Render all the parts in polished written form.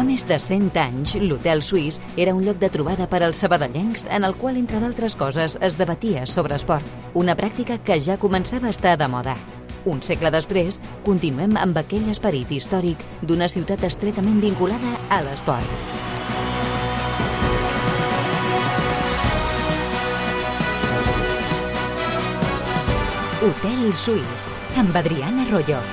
Fa més de 100 anys, l'Hotel Suís era un lloc de trobada per als sabadellencs en el qual, entre d'altres coses, es debatia sobre esport, una pràctica que ja començava a estar de moda. Un segle després, continuem amb aquell esperit històric d'una ciutat estretament vinculada a l'esport. Hotel Suís, amb Adriana Arroyo.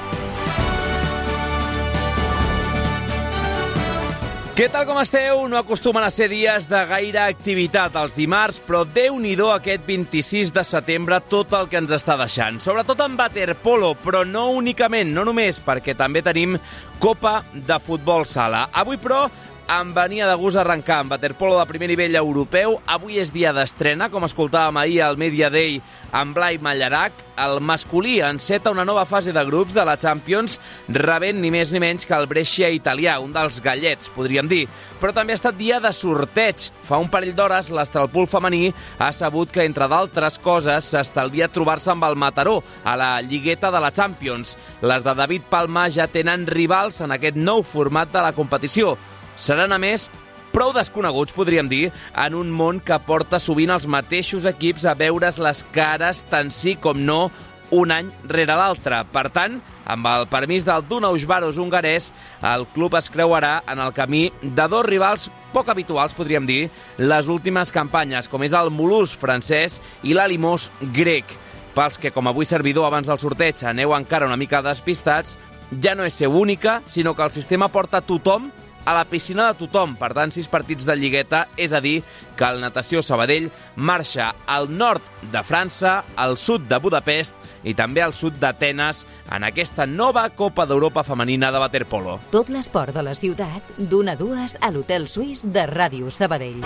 Què tal com esteu? No acostumen a ser dies de gaire activitat els dimarts, però Déu-n'hi-do aquest 26 de setembre tot el que ens està deixant. Sobretot en waterpolo, però no únicament, no només, perquè també tenim Copa de Futbol Sala. Avui, però, em venia de gust arrencar amb waterpolo de primer nivell europeu. Avui és dia d'estrena, com escoltàvem ahir al Media Day amb Blai Mallarac. El masculí enceta una nova fase de grups de la Champions, rebent ni més ni menys que el Brescia italià, un dels gallets, podríem dir. Però també ha estat dia de sorteig. Fa un parell d'hores, l'Astralpool femení ha sabut que, entre d'altres coses, s'estalvia trobar-se amb el Mataró a la lligueta de la Champions. Les de David Palma ja tenen rivals en aquest nou format de la competició. Seran, a més, prou desconeguts, podríem dir, en un món que porta sovint els mateixos equips a veure's les cares tant sí com no un any rere l'altre. Per tant, amb el permís del Dunausvaros hongarès, el club es creuarà en el camí de dos rivals poc habituals, podríem dir, les últimes campanyes, com és el Mulhouse francès i l'Alimos grec. Pels que, com avui servidor abans del sorteig, aneu encara una mica despistats, ja no és ser única, sinó que el sistema porta tothom a la piscina de tothom. Per tant, 6 partits de lligueta, és a dir, que el Natació Sabadell marxa al nord de França, al sud de Budapest i també al sud d'Atenes en aquesta nova Copa d'Europa femenina de waterpolo. Tot l'esport de la ciutat, d'1 a 2 a l'Hotel Suís de Ràdio Sabadell.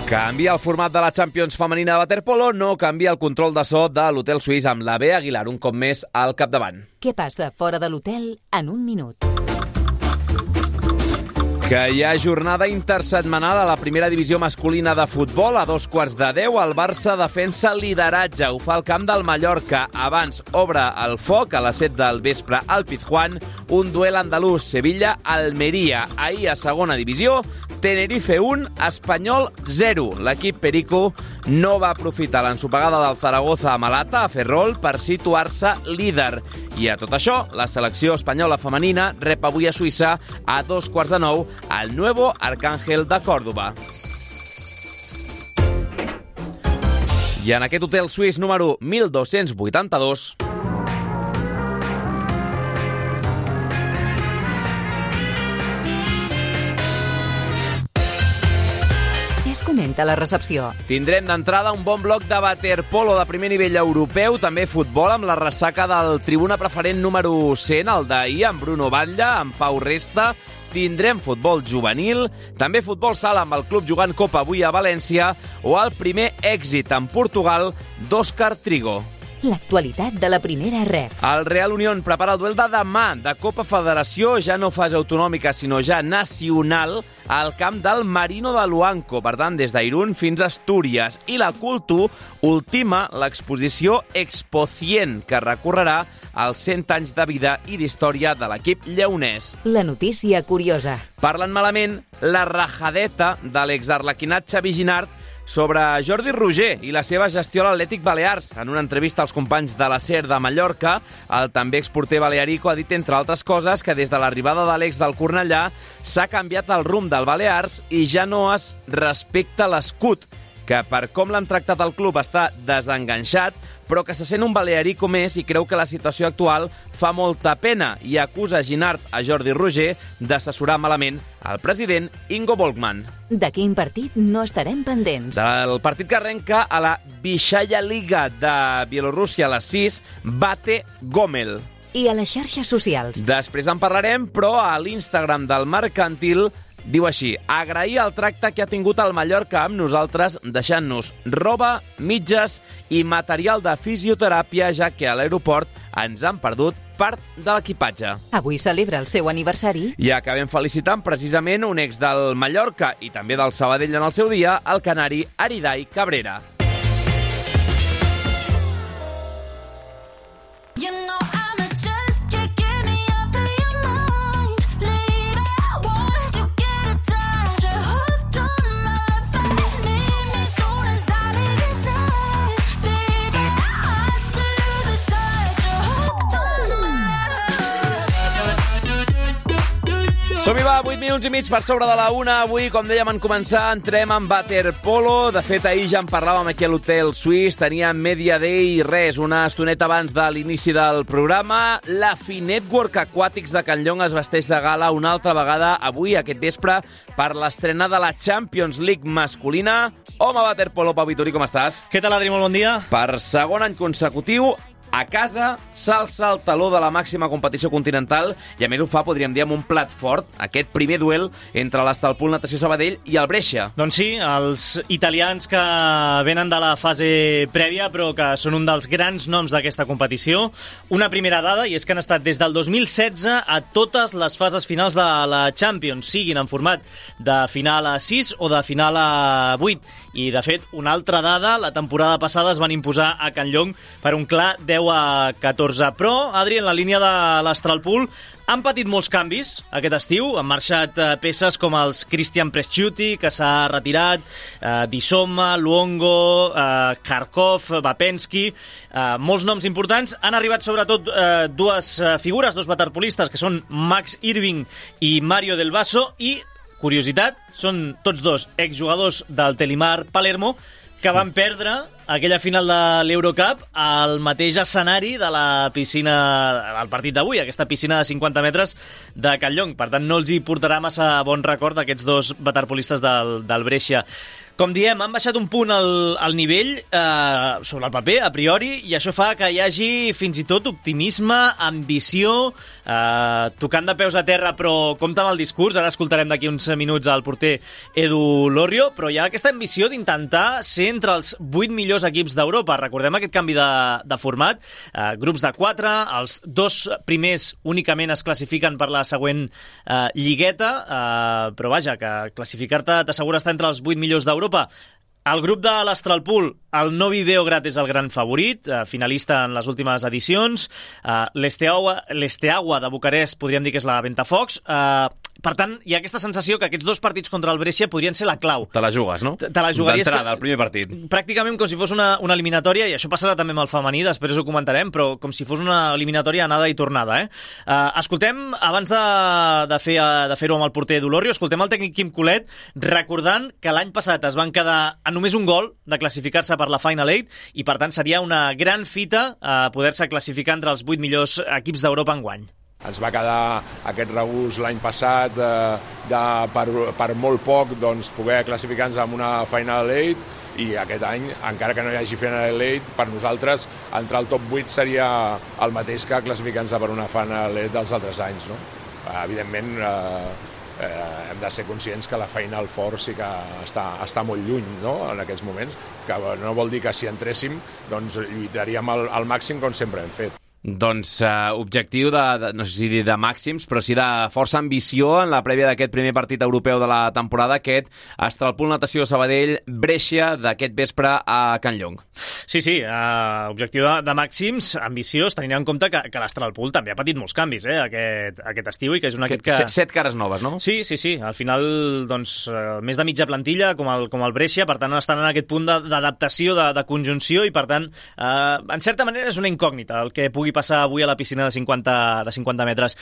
Canvia el format de la Champions femenina de waterpolo, no canvia el control de so de l'Hotel Suís amb la Bea Aguilar un cop més al capdavant. Què passa fora de l'hotel en un minut? Que hi ha jornada intersetmanal a la primera divisió masculina de futbol. A 9:15, el Barça defensa lideratge. Ho fa al camp del Mallorca. Abans obre el foc a les 7 del vespre al Pizjuán. Un duel andalús, Sevilla-Almeria. Ahir a segona divisió, Tenerife 1, Espanyol 0. L'equip Perico no va aprofitar l'ensopegada del Zaragoza a Malata, a Ferrol, per situar-se líder. I a tot això, la selecció espanyola femenina rep avui a Suïssa a 9:15 al Nuevo Arcángel de Còrdova. I en aquest hotel suís número 1282... Comenta la recepció. Tindrem d'entrada un bon bloc de waterpolo de primer nivell europeu, també futbol amb la ressaca del tribuna preferent número 100, el d'ahir, amb Bruno Batlle, amb Pau Resta. Tindrem futbol juvenil, també futbol sala amb el club jugant Copa avui a València, o el primer èxit en Portugal d'Òscar Trigo. L'actualitat de la primera ref. El Real Unión prepara el duel de demà de Copa Federació, ja no fase autonòmica, sinó ja nacional, al camp del Marino de Luanco, per tant, des d'Irún fins a Astúries. I la Cultu ultima l'exposició Expo 100, que recorrerà els 100 anys de vida i d'història de l'equip lleonès. La notícia curiosa. Parlen malament la rajadeta de l'exarlequinat Xavi Ginard sobre Jordi Roger i la seva gestió a l'Atlètic Balears. En una entrevista als companys de la SER de Mallorca, el també exporter balearico ha dit, entre altres coses, que des de l'arribada de l'ex del Cornellà s'ha canviat el rumb del Balears i ja no es respecta l'escut, que per com l'han tractat el club està desenganxat, però que se sent un balearico més i creu que la situació actual fa molta pena i acusa Ginard a Jordi Roger d'assessorar malament el president Ingo Volkmann. De quin partit no estarem pendents? Del partit que arrenca a la Vysshaya Liga de Bielorússia a les 6, Bate Gomel. I a les xarxes socials? Després en parlarem, però a l'Instagram del Mercantil diu així: agrair el tracte que ha tingut el Mallorca amb nosaltres, deixant-nos roba, mitges i material de fisioteràpia, ja que a l'aeroport ens han perdut part de l'equipatge. Avui celebra el seu aniversari. I acabem felicitant precisament un ex del Mallorca i també del Sabadell en el seu dia, el canari Aridai Cabrera. Som-hi, va, 8 minuts i mig per sobre de la 1. Avui, com dèiem en començar, entrem en waterpolo. De fet, ahir ja en parlàvem aquí a l'Hotel Suís. Teníem Media Day i res, una estoneta abans de l'inici del programa. La Finetwork Aquàtics de Can Llong es vesteix de gala una altra vegada avui, aquest vespre, per l'estrena de la Champions League masculina. Home, waterpolo, Pau Vitori, com estàs? Què tal, Adri? Molt bon dia. Per segon any consecutiu, a casa s'alça el taló de la màxima competició continental i a més ho fa, podríem dir, amb un plat fort, aquest primer duel entre l'Estalpul Natació Sabadell i el Brescia. Doncs sí, els italians que venen de la fase prèvia però que són un dels grans noms d'aquesta competició. Una primera dada, i és que han estat des del 2016 a totes les fases finals de la Champions, siguin en format de final a 6 o de final a 8. I, de fet, una altra dada, la temporada passada es van imposar a Can Llong per un clar 10-14. Però, Adri, en la línia de l'Astralpool han patit molts canvis aquest estiu. Han marxat peces com els Christian Presciuti, que s'ha retirat, Dissoma, Luongo, Kharkov, Vapensky, molts noms importants. Han arribat sobretot dues figures, dos waterpolistes, que són Max Irving i Mario Del Vaso, i curiositat, són tots dos exjugadors del Telimar Palermo que van perdre aquella final de l'Eurocup al mateix escenari de la piscina del partit d'avui, aquesta piscina de 50 metres de Can Llong. Per tant, no els hi portarà massa bon record aquests dos waterpolistes del Brescia. Com diem, han baixat un punt al nivell sobre el paper, a priori, i això fa que hi hagi fins i tot optimisme, ambició, tocant de peus a terra, però compte amb el discurs. Ara escoltarem d'aquí uns minuts al porter Edu Lorrio, però hi ha aquesta ambició d'intentar ser entre els 8 millors equips d'Europa. Recordem aquest canvi de format, grups de 4, els dos primers únicament es classifiquen per la següent lligueta, però vaja, que classificar-te t'assegura estar entre els 8 millors d'Europa. El grup de l'Astralpool, el Novi Beograd és el gran favorit, finalista en les últimes edicions. L'Esteaua de Bucarest podríem dir que és la Ventafocs. Per tant, hi ha aquesta sensació que aquests dos partits contra el Brescia podrien ser la clau. Te la jugues, no? Te la jugaries d'entrada, el primer partit. Pràcticament com si fos una eliminatòria, i això passarà també amb el femení, després ho comentarem, però com si fos una eliminatòria anada i tornada. Escoltem, abans de fer-ho amb el porter Dolorrio, escoltem el tècnic Quim Colet, recordant que l'any passat es van quedar a només un gol de classificar-se per la Final 8, i per tant seria una gran fita poder-se classificar entre els 8 millors equips d'Europa enguany. Ens va quedar aquest regús l'any passat per molt poc poder classificar-nos amb una Final 8, i aquest any, encara que no hi hagi Final 8, per nosaltres entrar al top 8 seria el mateix que classificar-nos per una Final 8 dels altres anys, no? Evidentment, hem de ser conscients que la Final Four sí que està molt lluny, no? En aquests moments, que no vol dir que si entréssim lluitaríem al màxim com sempre hem fet. Doncs objectiu no sé si dir de màxims, però sí de força ambició en la prèvia d'aquest primer partit europeu de la temporada, aquest Astralpool Natació Sabadell Brescia d'aquest vespre a Can Llong. Sí, objectiu de màxims, ambiciós, tenint en compte que l'Astralpool també ha patit molts canvis aquest estiu, i que és un equip que... 7 cares noves, no? Sí. Al final, més de mitja plantilla, com el Brescia, per tant, estan en aquest punt d'adaptació, de conjunció, i per tant, en certa manera és una incògnita el que pugui passar avui a la piscina de 50 metres.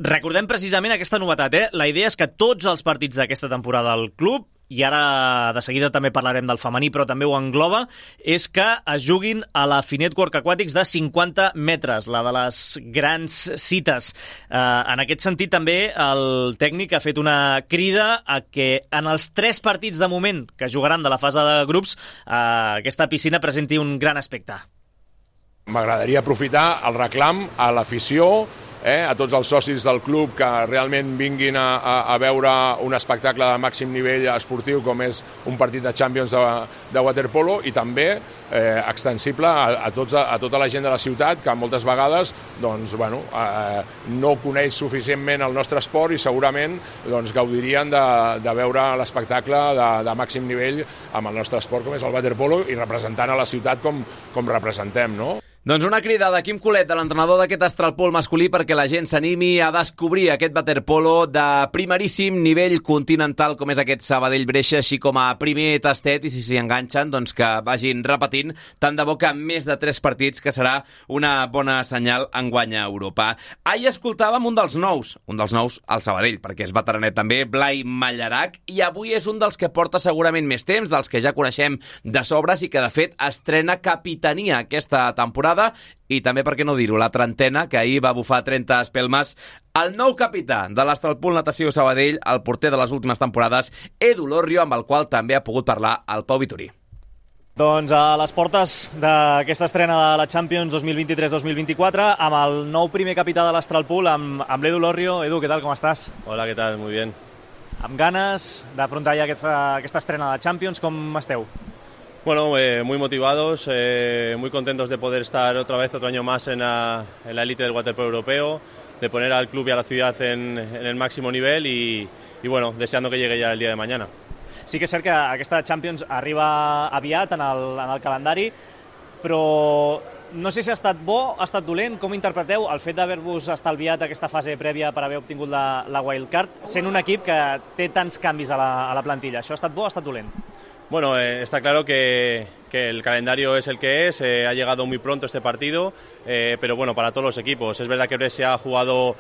Recordem precisament aquesta novetat, La idea és que tots els partits d'aquesta temporada del club, i ara de seguida també parlarem del femení, però també ho engloba, és que es juguin a la Finetwork Aquàtics de 50 metres, la de les grans cites. En aquest sentit, també, el tècnic ha fet una crida a que en els 3 partits de moment que jugaran de la fase de grups, aquesta piscina presenti un gran aspecte. M'agradaria aprofitar el reclam a l'afició, a tots els socis del club que realment vinguin a veure un espectacle de màxim nivell esportiu com és un partit de Champions de waterpolo, i també extensible a tota la gent de la ciutat que moltes vegades no coneix suficientment el nostre esport i segurament gaudirien de veure l'espectacle de màxim nivell amb el nostre esport com és el waterpolo, i representant a la ciutat com representem, no? Doncs una crida de Quim Colet, de l'entrenador d'aquest Astralpol masculí, perquè la gent s'animi a descobrir aquest waterpolo de primeríssim nivell continental com és aquest Sabadell-Breixa, així com a primer tastet, i si s'hi enganxen, doncs que vagin repetint, tant de bo que més de 3 partits, que serà una bona senyal enguany a Europa. Ahir escoltàvem un dels nous al Sabadell, perquè és veteranet també, Blai Mallarac, i avui és un dels que porta segurament més temps, dels que ja coneixem de sobres i que de fet estrena capitania aquesta temporada, i també, per què no dir-ho, la 30ena, que ahir va bufar 30 espelmes, el nou capità de l'Astralpol Natació Sabadell, el porter de les últimes temporades, Edu Lorrio, amb el qual també ha pogut parlar el Pau Vitorí. Doncs a les portes d'aquesta estrena de la Champions 2023-2024, amb el nou primer capità de l'Astralpol, amb l'Edu Lorrio. Edu, què tal, com estàs? Hola, ¿qué tal? Muy bien. Amb ganes d'afrontar ja aquesta estrena de la Champions, com esteu? Bueno, muy motivados, muy contentos de poder estar otra vez otro año más en la élite del waterpolo europeo, de poner al club y a la ciudad en el máximo nivel y bueno, deseando que llegue ya el día de mañana. Sí que és cert que aquesta Champions arriba aviat en el calendari, però no sé si ha estat bo, ha estat dolent. Com interpreteu el fet d'haver-vos estalviat aquesta fase prèvia per haver obtingut la wildcard, sent un equip que té tants canvis a la plantilla? Això ha estat bo o ha estat dolent? Bueno, está claro que el calendario es el que es, ha llegado muy pronto este partido, pero bueno, para todos los equipos. Es verdad que Brescia ha jugado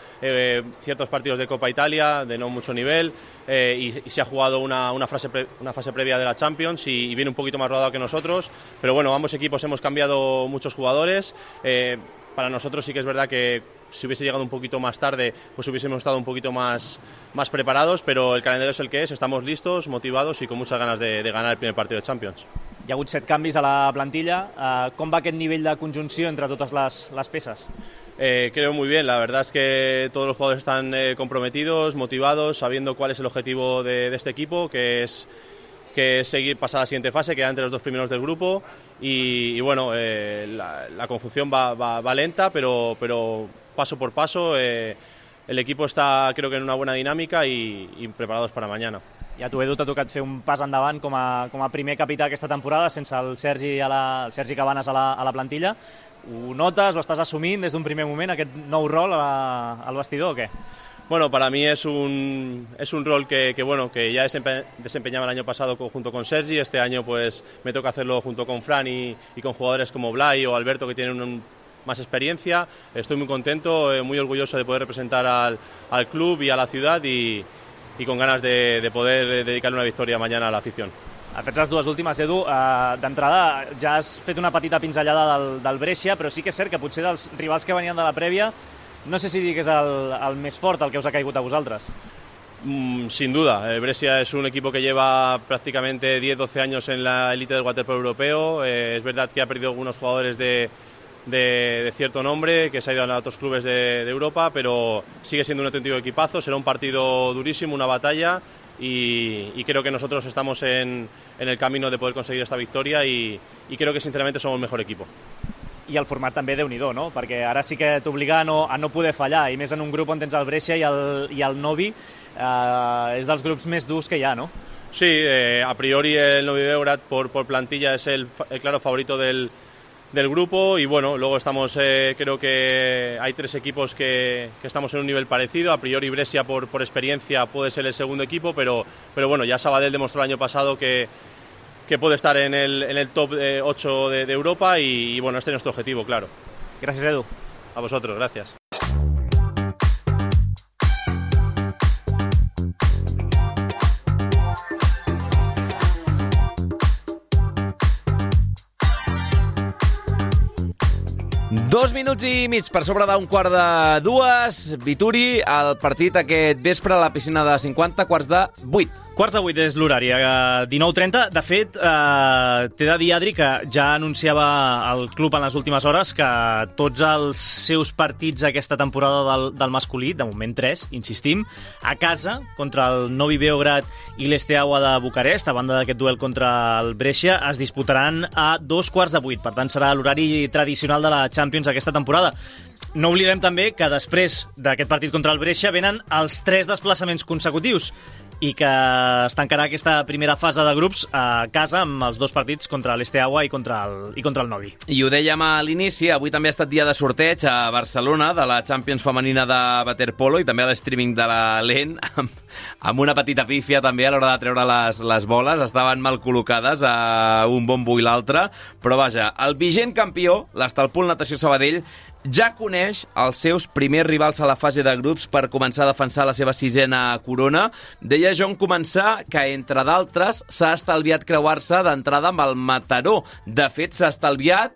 ciertos partidos de Copa Italia de no mucho nivel y se ha jugado una fase previa de la Champions y viene un poquito más rodado que nosotros, pero bueno, ambos equipos hemos cambiado muchos jugadores. Para nosotros sí que es verdad que si hubiese llegado un poquito más tarde, pues hubiésemos estado un poquito más preparados, pero el calendario es el que es, estamos listos, motivados y con muchas ganas de ganar el primer partido de Champions. Hi ha hagut 7 canvis a la plantilla. Com va aquest nivell de conjunció entre totes les peces? Creo muy bien, la verdad es que todos los jugadores están comprometidos, motivados, sabiendo cuál es el objetivo de este equipo, que es seguir, pasar a la siguiente fase, quedar entre los 2 primeros del grupo y bueno, la conjunción va lenta, pero paso por paso el equipo está, creo que en una buena dinámica y preparados para mañana. I a tu, Edu, t'ha tocat fer un pas endavant com a primer capità aquesta temporada, sense el Sergi Cabanes a la plantilla. Ho notes, ho estàs assumint des d'un primer moment, aquest nou rol al vestidor o què? Bueno, para mí es un rol que ya desempeñaba el año pasado junto con Sergi. Este año pues me toca hacerlo junto con Fran y con jugadores como Blai o Alberto, que tienen más experiencia. Estoy muy contento, muy orgulloso de poder representar al club y a la ciudad y con ganas de poder dedicarle una victoria mañana a la afición. Fets les dues últimes, Edu. D'entrada ja has fet una petita pinzellada del Brescia, però sí que és cert que potser dels rivals que venien de la prèvia, no sé si dir que és el més fort, el que us ha caigut a vosaltres. Sin duda, Brescia es un equipo que lleva prácticamente 10-12 años en la élite del waterpolo europeo. Es verdad que ha perdido algunos jugadores de cierto nombre, que se ha ido a otros clubes de Europa, pero sigue siendo un auténtico equipazo. Será un partido durísimo, una batalla, y creo que nosotros estamos en el camino de poder conseguir esta victoria y creo que sinceramente somos el mejor equipo. I el format també déu-n'hi-do, no? Perquè ara sí que t'obliga a no poder fallar, i més en un grup on tens el Brescia i el Novi, és dels grups més durs que hi ha, no? Sí, a priori el Novi Beograd por plantilla es el claro favorito del grupo y bueno, luego estamos, creo que hay 3 equipos que estamos en un nivel parecido. A priori Brescia por experiencia puede ser el segundo equipo, pero bueno, ya Sabadell demostró el año pasado que puede estar en el top 8 de Europa y bueno, este es nuestro objetivo, claro. Gracias, Edu. A vosotros, gracias. Dos minuts i mig per sobre d'un 1:45. Vituri, el partit aquest vespre a la piscina de 50, 7:45. 7:45 és l'horari, 19:30. De fet, t'he de dir, Adri, que ja anunciava el club en les últimes hores que tots els seus partits aquesta temporada del masculí, de moment 3, insistim, a casa, contra el Novi Beograd i l'Esteaua de Bucarest, a banda d'aquest duel contra el Brescia, es disputaran a 7:15. Per tant, serà l'horari tradicional de la Champions aquesta temporada. No oblidem també que després d'aquest partit contra el Brescia venen els 3 desplaçaments consecutius i que es tancarà aquesta primera fase de grups a casa amb els 2 partits contra l'Esteaua i contra el Novi. I ho dèiem a l'inici, avui també ha estat dia de sorteig a Barcelona de la Champions femenina de waterpolo i també a l'streaming de la LEN amb una petita pífia també a l'hora de treure les boles. Estaven mal col·locades a un bombo i l'altre, però vaja, el vigent campió, l'Estalpul Natació Sabadell, ja coneix els seus primers rivals a la fase de grups per començar a defensar la seva 6a corona. Deia John començar que, entre d'altres, s'ha estalviat creuar-se d'entrada amb el Mataró. De fet, s'ha estalviat,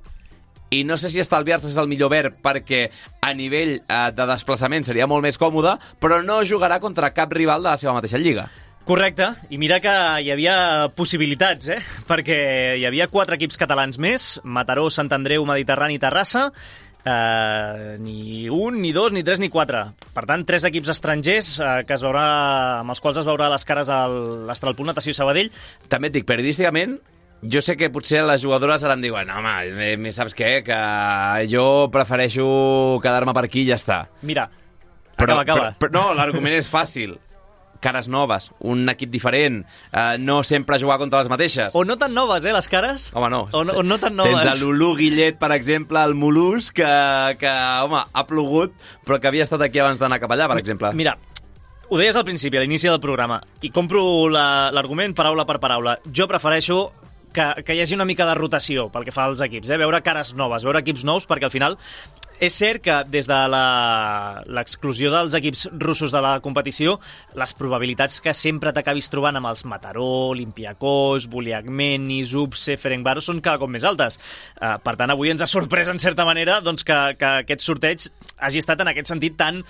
i no sé si estalviar-se és el millor verb, perquè a nivell de desplaçament seria molt més còmode, però no jugarà contra cap rival de la seva mateixa lliga. Correcte, i mira que hi havia possibilitats, perquè hi havia 4 equips catalans més, Mataró, Sant Andreu, Mediterrani i Terrassa, ni 1, ni 2, ni 3, ni 4. Per tant, 3 equips estrangers amb els quals es veurà les cares a l'Estalpul Natació Sabadell. També et dic, periodísticament, jo sé que potser les jugadores ara em diuen home, saps què? Que jo prefereixo quedar-me per aquí i ja està. Mira, acaba. Però no, l'argument és fàcil. Cares noves, un equip diferent, no sempre jugar contra les mateixes. O no tan noves, les cares? Home, no. O no tan noves. Tens el Lulú Guillet, per exemple, el Molús, que home, ha plogut, però que havia estat aquí abans d'anar cap allà, per exemple. Mira, ho deies al principi, a l'inici del programa, i compro l'argument paraula per paraula. Jo prefereixo que hi hagi una mica de rotació pel que fa als equips, veure cares noves, veure equips nous, perquè al final és cert que des de l'exclusió dels equips russos de la competició, les probabilitats que sempre t'acabis trobant amb els Mataró, Olympiakos, Buliagmeni, Zubce, Ferencváros són cada cop més altes. Per tant, avui ens ha sorprès en certa manera doncs, que aquest sorteig hagi estat en aquest sentit tan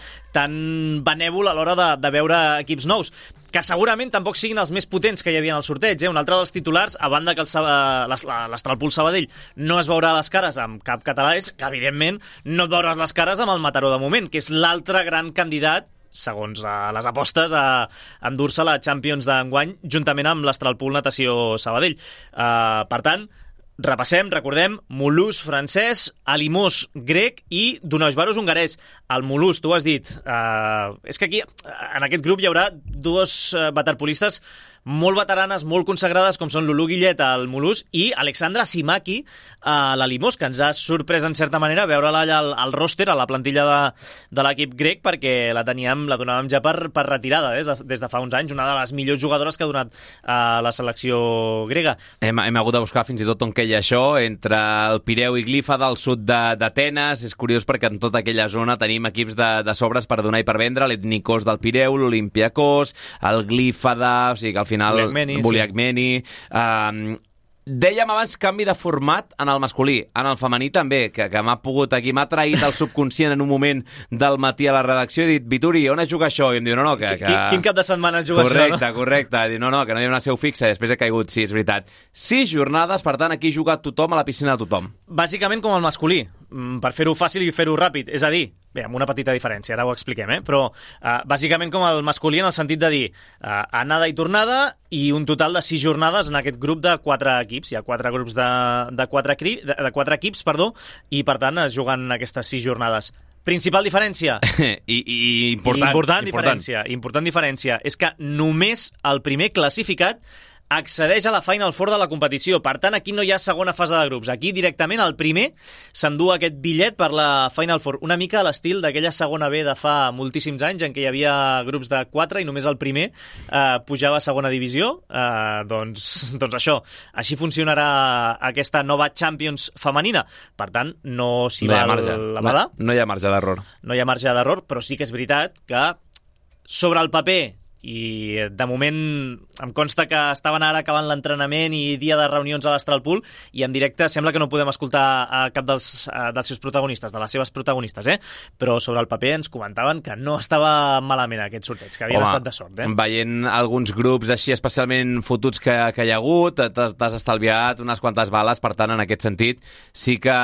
benèvol a l'hora de veure equips nous, que segurament tampoc siguin els més potents que hi havia en el sorteig. Un altre dels titulars, a banda que l'Estalpul Sabadell no es veurà les cares amb cap català, és que, evidentment, no et veuràs les cares amb el Mataró de moment, que és l'altre gran candidat, segons les apostes, a endur-se la Champions d'enguany, juntament amb l'Estalpul Natació Sabadell. Per tant, repassem, recordem, Molús francès, Alimós grec i Dunausvaros hongarès. El Molús, tu has dit, és que aquí, en aquest grup, hi haurà 2 waterpolistes molt veteranes, molt consagrades, com són Lulú Guillet al Molús i Alexandra Simaki a l'Alimós, que ens ha sorprès en certa manera veure-la allà al ròster, a la plantilla de l'equip grec, perquè la donàvem ja per retirada des de fa uns anys, una de les millors jugadores que ha donat la selecció grega. Hem hagut de buscar fins i tot on queia això, entre el Pireu i Glifa del sud d'Atenes. És curiós perquè en tota aquella zona tenim equips de sobres per donar i per vendre, l'Etnikos del Pireu, l'Olympiakos, el Glifada, o sigui que al final Buliagmeni. Dèiem abans canvi de format en el masculí, en el femení també, que m'ha traït el subconscient en un moment del matí a la redacció i he dit, Vituri, on es juga això? I em diu, no, que... Quin cap de setmana es juga correcte, això, no? Correcte, diu, no, que no hi ha una seu fixa, i després he caigut, sí, és veritat. 6 jornades, per tant, aquí juga tothom a la piscina de tothom. Bàsicament com el masculí, per fer-ho fàcil i fer-ho ràpid, és a dir, bé, amb una petita diferència, ara ho expliquem, però bàsicament com el masculí en el sentit de dir anada i tornada i un total de 6 jornades en aquest grup de 4 equips. Hi ha 4 grups de 4 equips, i per tant es juguen aquestes 6 jornades. Principal diferència? Important diferència és que només el primer classificat accedeix a la Final Four de la competició. Per tant, aquí no hi ha segona fase de grups. Aquí, directament, el primer s'endú aquest bitllet per la Final Four. Una mica a l'estil d'aquella segona B de fa moltíssims anys, en què hi havia grups de 4 i només el primer pujava a segona divisió. Doncs això. Així funcionarà aquesta nova Champions femenina. Per tant, no s'hi val la bada. No hi ha marge d'error. No hi ha marge d'error, però sí que és veritat que sobre el paper, i de moment em consta que estaven ara acabant l'entrenament i dia de reunions a l'Estalpul, i en directe sembla que no podem escoltar a cap dels seus protagonistes, de les seves protagonistes, però sobre el paper ens comentaven que no estava malament aquest sorteig, que havien estat de sort. Veient alguns grups així especialment fotuts que hi ha hagut, t'has estalviat unes quantes bales, per tant, en aquest sentit sí que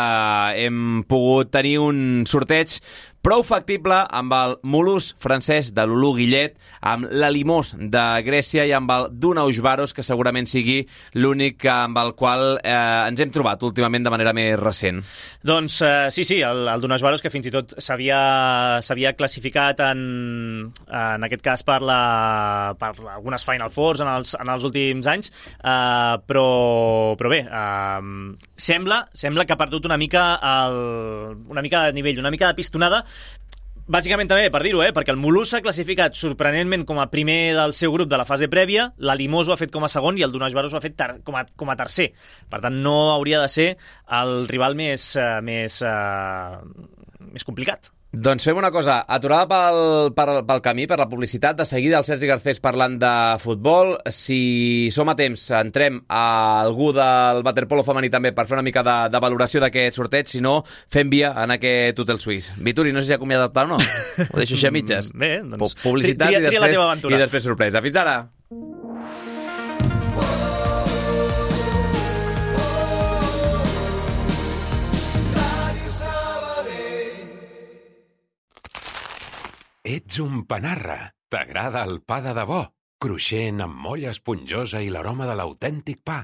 hem pogut tenir un sorteig Prou factible amb el Mulhouse francès de Lulu Guillet, amb l'Alimos de Grècia i amb el Dunaujvaros, que segurament sigui l'únic amb el qual ens hem trobat últimament de manera més recent. Doncs sí, el Dunaujvaros, que fins i tot s'havia classificat en aquest cas per algunes Final Fours en els últims anys, però bé, sembla que ha perdut una mica de nivell, una mica de pistonada. Bàsicament també, per dir-ho, perquè el Mulhouse s'ha classificat sorprenentment com a primer del seu grup de la fase prèvia, l'Alimos ho ha fet com a segon i el Dunaujvaros ho ha fet com a tercer. Per tant, no hauria de ser el rival més complicat. Doncs fem una cosa, aturada pel camí, per la publicitat. De seguida el Sergi Garcés parlant de futbol. Si som a temps, entrem a algú del waterpolo femení també per fer una mica de valoració d'aquest sorteig. Si no, fem via en aquest hotel suís. Vituri, no sé si ha acomiadat o no. Ho deixo així a mitges. Bé, doncs publicitat tria la teva aventura. I després sorpresa. Fins ara! Ets un panarra. T'agrada el pa de debò? Cruixent, amb molla esponjosa i l'aroma de l'autèntic pa.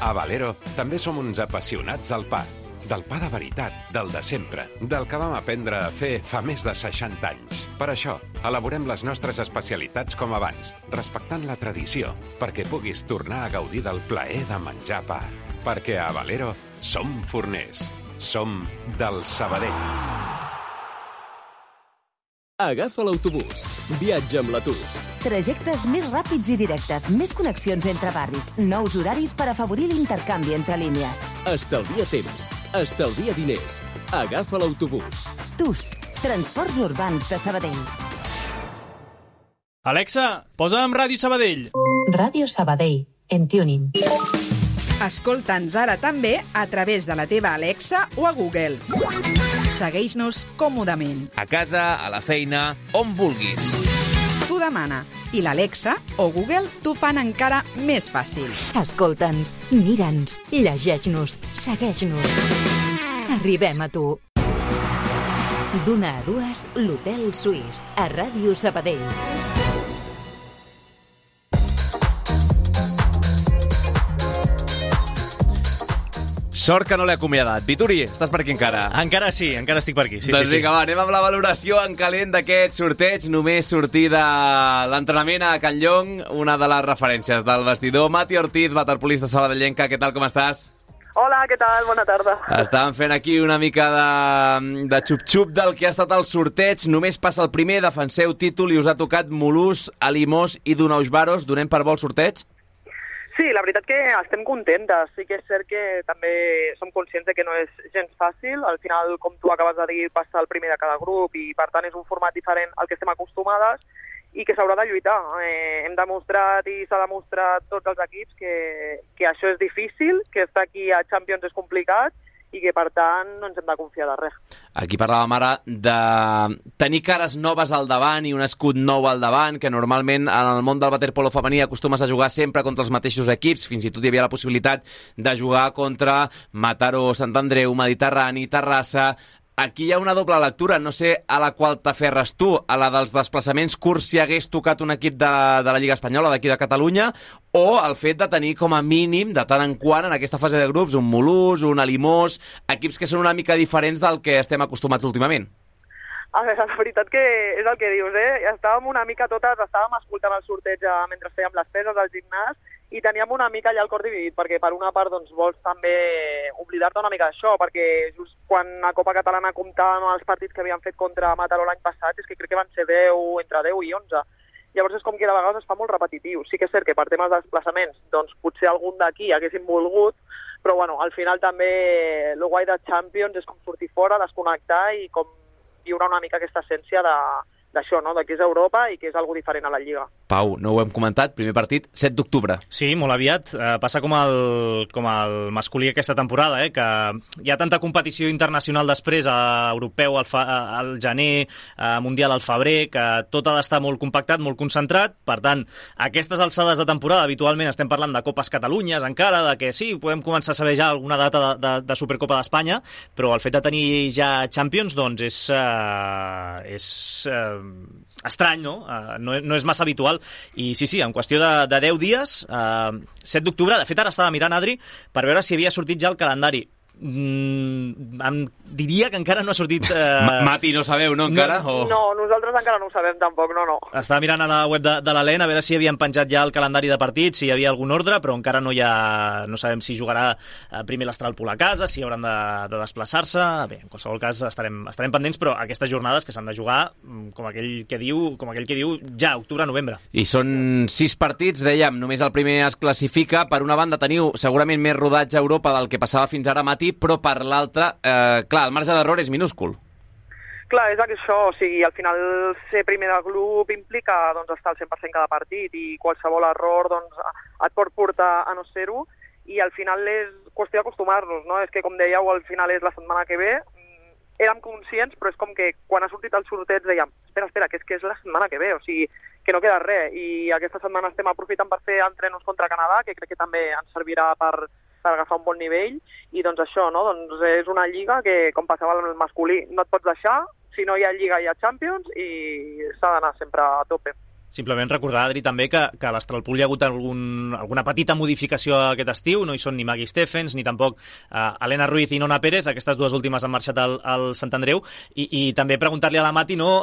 A Valero també som uns apassionats del pa. Del pa de veritat, del de sempre, del que vam aprendre a fer fa més de 60 anys. Per això, elaborem les nostres especialitats com abans, respectant la tradició, perquè puguis tornar a gaudir del plaer de menjar pa. Perquè a Valero som forners. Som del Sabadell. Agafa l'autobús. Viatja amb l'Atus. Trajectes més ràpids i directes, més connexions entre barris, nous horaris per afavorir l'intercanvi entre línies. Estalvia temps. Estalvia diners. Agafa l'autobús. TUS, Transports Urbans de Sabadell. Alexa, posa'm Ràdio Sabadell. Ràdio Sabadell, en tuning. Escolta'ns ara també a través de la teva Alexa o a Google. Segueix-nos còmodament. A casa, a la feina, on vulguis. Tu demana i l'Alexa o Google t'ho fan encara més fàcil. Escolta'ns, mira'ns, llegeix-nos, segueix-nos. Arribem a tu. D'una a dues, l'Hotel Suís, a Ràdio Sabadell. Sort que no l'he acomiadat. Vituri, estàs per aquí encara? Encara sí, encara estic per aquí. Sí, doncs sí. Vinga, va, anem amb la valoració en calent d'aquest sorteig. Només sortir de l'entrenament a Can Llong, una de les referències del vestidor. Mati Ortiz, waterpolista sabadellenca, què tal, com estàs? Hola, què tal? Bona tarda. Estàvem fent aquí una mica de xup-xup del que ha estat el sorteig. Només passa el primer, defenseu títol i us ha tocat Mulhouse, Alimos i Dunaujvaros. Donem per bo el sorteig? Sí, la veritat que estem contentes. Sí que és cert que també som conscients de que no és gens fàcil. Al final, com tu acabes de dir, passa el primer de cada grup i, per tant, és un format diferent al que estem acostumades i que s'haurà de lluitar. Hem demostrat i s'ha demostrat tots els equips que això és difícil, que estar aquí a Champions és complicat i que, per tant, no ens hem de confiar de res. Aquí parlàvem ara de tenir cares noves al davant i un escut nou al davant, que normalment en el món del waterpolo femení acostumes a jugar sempre contra els mateixos equips. Fins i tot hi havia la possibilitat de jugar contra Mataró, Sant Andreu, Mediterrani, Terrassa. Aquí hi ha una doble lectura, no sé a la qual t'aferres tu, a la dels desplaçaments curts si hagués tocat un equip de la Lliga Espanyola, d'aquí de Catalunya, o el fet de tenir com a mínim, de tant en quant, en aquesta fase de grups, un Mulhouse, un Alimos, equips que són una mica diferents del que estem acostumats últimament. A veure, la veritat que és el que dius, Estàvem una mica totes, estàvem escoltant el sorteig mentre fèiem les peses al gimnàs i teníem una mica allà el cor dividit, perquè per una part doncs, vols també oblidar-te una mica d'això, perquè just quan a Copa Catalana comptàvem els partits que havíem fet contra Mataró l'any passat, és que crec que van ser 10, entre 10 i 11. Llavors és com que de vegades es fa molt repetitiu. Sí que és cert que per temes de desplaçaments, doncs potser algun d'aquí haguéssim volgut, però bueno, al final també el guai de Champions és com sortir fora, desconnectar i com viure una mica aquesta essència d'això, no? De que és Europa i que és algo diferent a la Lliga. Pau, no ho hem comentat, primer partit, 7 d'octubre. Sí, molt aviat. Passa com el masculí aquesta temporada, que hi ha tanta competició internacional després, europeu al gener, mundial al febrer, que tot ha d'estar molt compactat, molt concentrat. Per tant, aquestes alçades de temporada, habitualment estem parlant de Copes Catalunyes encara, de que sí, podem començar a saber ja alguna data de Supercopa d'Espanya, però el fet de tenir ja Champions, doncs, és estrany, no? No és massa habitual. I sí, en qüestió de 10 dies, 7 d'octubre, de fet ara estava mirant, Adri, per veure si havia sortit ja el calendari. Em diria que encara no ha sortit... Mati, no sabeu, no, encara? No, nosaltres encara no ho sabem tampoc, no. Estava mirant a la web de l'Alen a veure si havien penjat ja el calendari de partits, si hi havia algun ordre, però encara no sabem si jugarà primer l'Astralpool a casa, si hauran de desplaçar-se. Bé, en qualsevol cas estarem pendents, però aquestes jornades que s'han de jugar, com aquell que diu ja, octubre-novembre. I són 6 partits, dèiem, només el primer es classifica. Per una banda teniu segurament més rodatge a Europa del que passava fins ara, Mati, però per l'altra, clar, el marge d'error és minúscul. Clar, és això, o sigui, al final ser primer del grup implica estar al 100% cada partit i qualsevol error et pot portar a no ser-ho i al final és qüestió d'acostumar-nos, no? És que, com dèieu, al final és la setmana que ve, érem conscients, però és com que quan ha sortit el sorteig dèiem, espera, que és la setmana que ve, o sigui, que no queda res, i aquesta setmana estem aprofitant per fer entrenos contra Canadà, que crec que també ens servirà per agafar un bon nivell, i doncs això, no? Doncs és una lliga que, com passava amb el masculí, no et pots deixar, si no hi ha lliga hi ha Champions, i s'ha d'anar sempre a tope. Simplement recordar, Adri, també que a l'Astralpool hi ha hagut alguna petita modificació aquest estiu, no hi són ni Maggie Stephens, ni tampoc Elena Ruiz i Nona Pérez, aquestes dues últimes han marxat al Sant Andreu, i també preguntar-li a la Mati, no,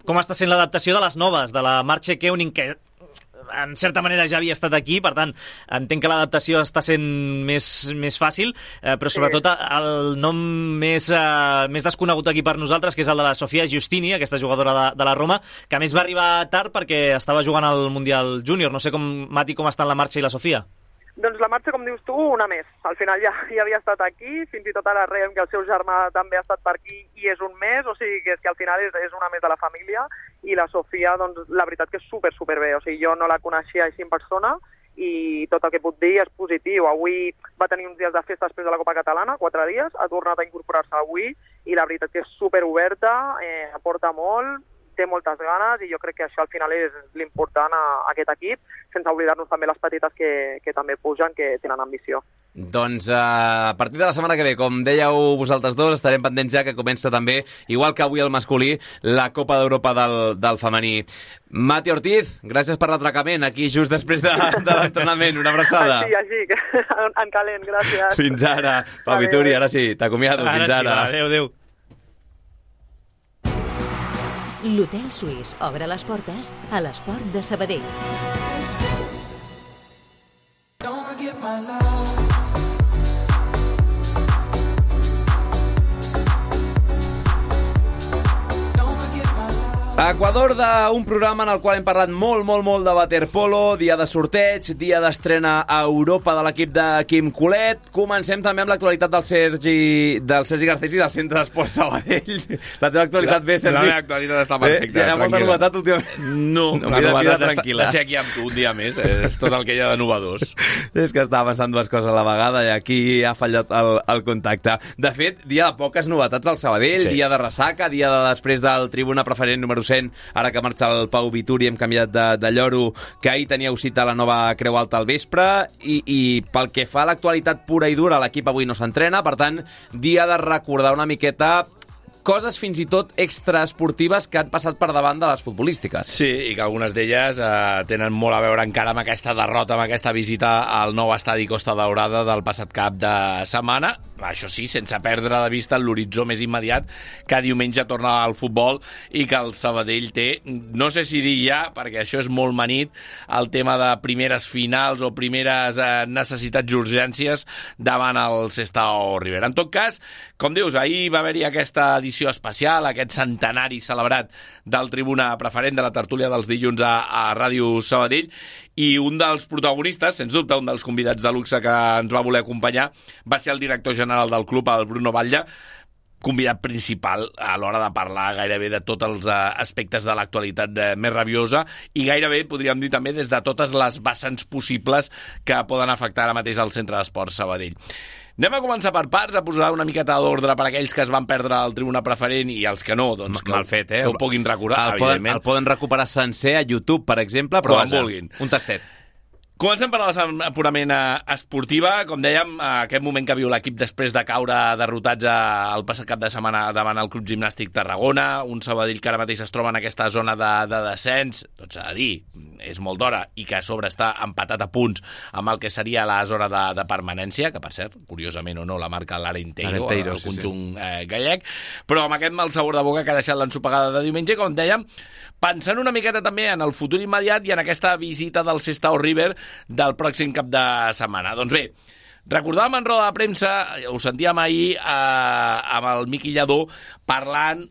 com està sent l'adaptació de les noves, de la Marche Keuning, que en certa manera ja havia estat aquí, per tant, entenc que l'adaptació està sent més fàcil, però sobretot el nom més desconegut aquí per nosaltres, que és el de la Sofia Giustini, aquesta jugadora de la Roma, que a més va arribar tard perquè estava jugant al Mundial Júnior. No sé, Mati, com estan la Marxa i la Sofia? Doncs la Marxa, com dius tu, una més. Al final ja havia estat aquí, fins i tot ara reiem que el seu germà també ha estat per aquí i és un més, o sigui que és que al final és una més de la família, i la Sofia, doncs la veritat que és super bé, o sigui, jo no la coneixia així en persona i tot el que puc dir és positiu. Avui va tenir uns dies de festa després de la Copa Catalana, 4 dies, ha tornat a incorporar-se avui i la veritat que és super oberta, aporta molt, té moltes ganes i jo crec que això al final és l'important a aquest equip, sense oblidar-nos també les petites que també pugen, que tenen ambició. Doncs a partir de la setmana que ve, com dèieu vosaltres dos, estarem pendents ja que comença també, igual que avui el masculí, la Copa d'Europa del femení. Mati Ortiz, gràcies per l'atracament aquí just després de l'entrenament. Una abraçada. Així, en calent, gràcies. Fins ara. Pau Vituri, ara sí, t'acomiado. Fins ara. Adéu. L'Hotel Suís obre les portes a l'Esport de Sabadell. Don't forget my love. Equador d'un programa en el qual hem parlat molt de waterpolo, dia de sorteig, dia d'estrena a Europa de l'equip de Quim Colet. Comencem també amb l'actualitat del Sergi Garcés i del Centre d'Esport Sabadell. La teva actualitat bé, Sergi? La meva actualitat està perfecta, Hi ha molta novetat últimament? No, la novetat de ser aquí amb tu un dia més, és tot el que hi ha de novedós. És que estava pensant dues coses a la vegada i aquí ha fallat el contacte. De fet, dia de poques novetats al Sabadell, dia de ressaca, dia de després del tribuna preferent número 100, ara que marxa el Pau Vituri hem canviat de lloro, que ahir teníeu cita a la nova Creu Alta al vespre, i pel que fa a l'actualitat pura i dura, l'equip avui no s'entrena, per tant, dia de recordar una miqueta coses fins i tot extraesportives que han passat per davant de les futbolístiques. Sí, i que algunes d'elles tenen molt a veure encara amb aquesta derrota, amb aquesta visita al nou estadi Costa Daurada del passat cap de setmana. Això sí, sense perdre de vista l'horitzó més immediat, que diumenge torna al futbol i que el Sabadell té, no sé si dir ja, perquè això és molt manit, el tema de primeres finals o primeres necessitats i urgències davant el Sestao Rivera. En tot cas, com dius, ahir va haver-hi aquesta edició especial, aquest centenari celebrat del Tribuna Preferent de la tertúlia dels dilluns a Ràdio Sabadell, i un dels protagonistes, sens dubte un dels convidats de luxe que ens va voler acompanyar, va ser el director general del club, el Bruno Batlle. convidat principal a l'hora de parlar gairebé de tots els aspectes de l'actualitat més rabiosa i gairebé, podríem dir també, des de totes les vessants possibles que poden afectar ara mateix al Centre d'Esports Sabadell. Anem a començar per parts, a posar una miqueta d'ordre per aquells que es van perdre el tribuna preferent i els que no, doncs mal fet, que ho puguin recordar, evidentment. El poden recuperar sencer a YouTube, per exemple, però quan vulguin. Un tastet. Comencem per la purament esportiva. Com dèiem, aquest moment que viu l'equip després de caure derrotats el passat cap de setmana davant el Club Gimnàstic Tarragona, un Sabadell que ara mateix es troba en aquesta zona de descens, doncs s'ha de dir, és molt d'hora, i que a sobre està empatat a punts amb el que seria la zona de permanència, que per cert, curiosament o no, la marca l'Arenteiro, el conjunt gallec, però amb aquest mal sabor de boca que ha deixat l'ensopegada de diumenge, com dèiem, pensant una miqueta també en el futur immediat i en aquesta visita del Sestao River del pròxim cap de setmana. Doncs bé, recordàvem en roda de premsa, ho sentíem ahir amb el Miqui Lladó, parlant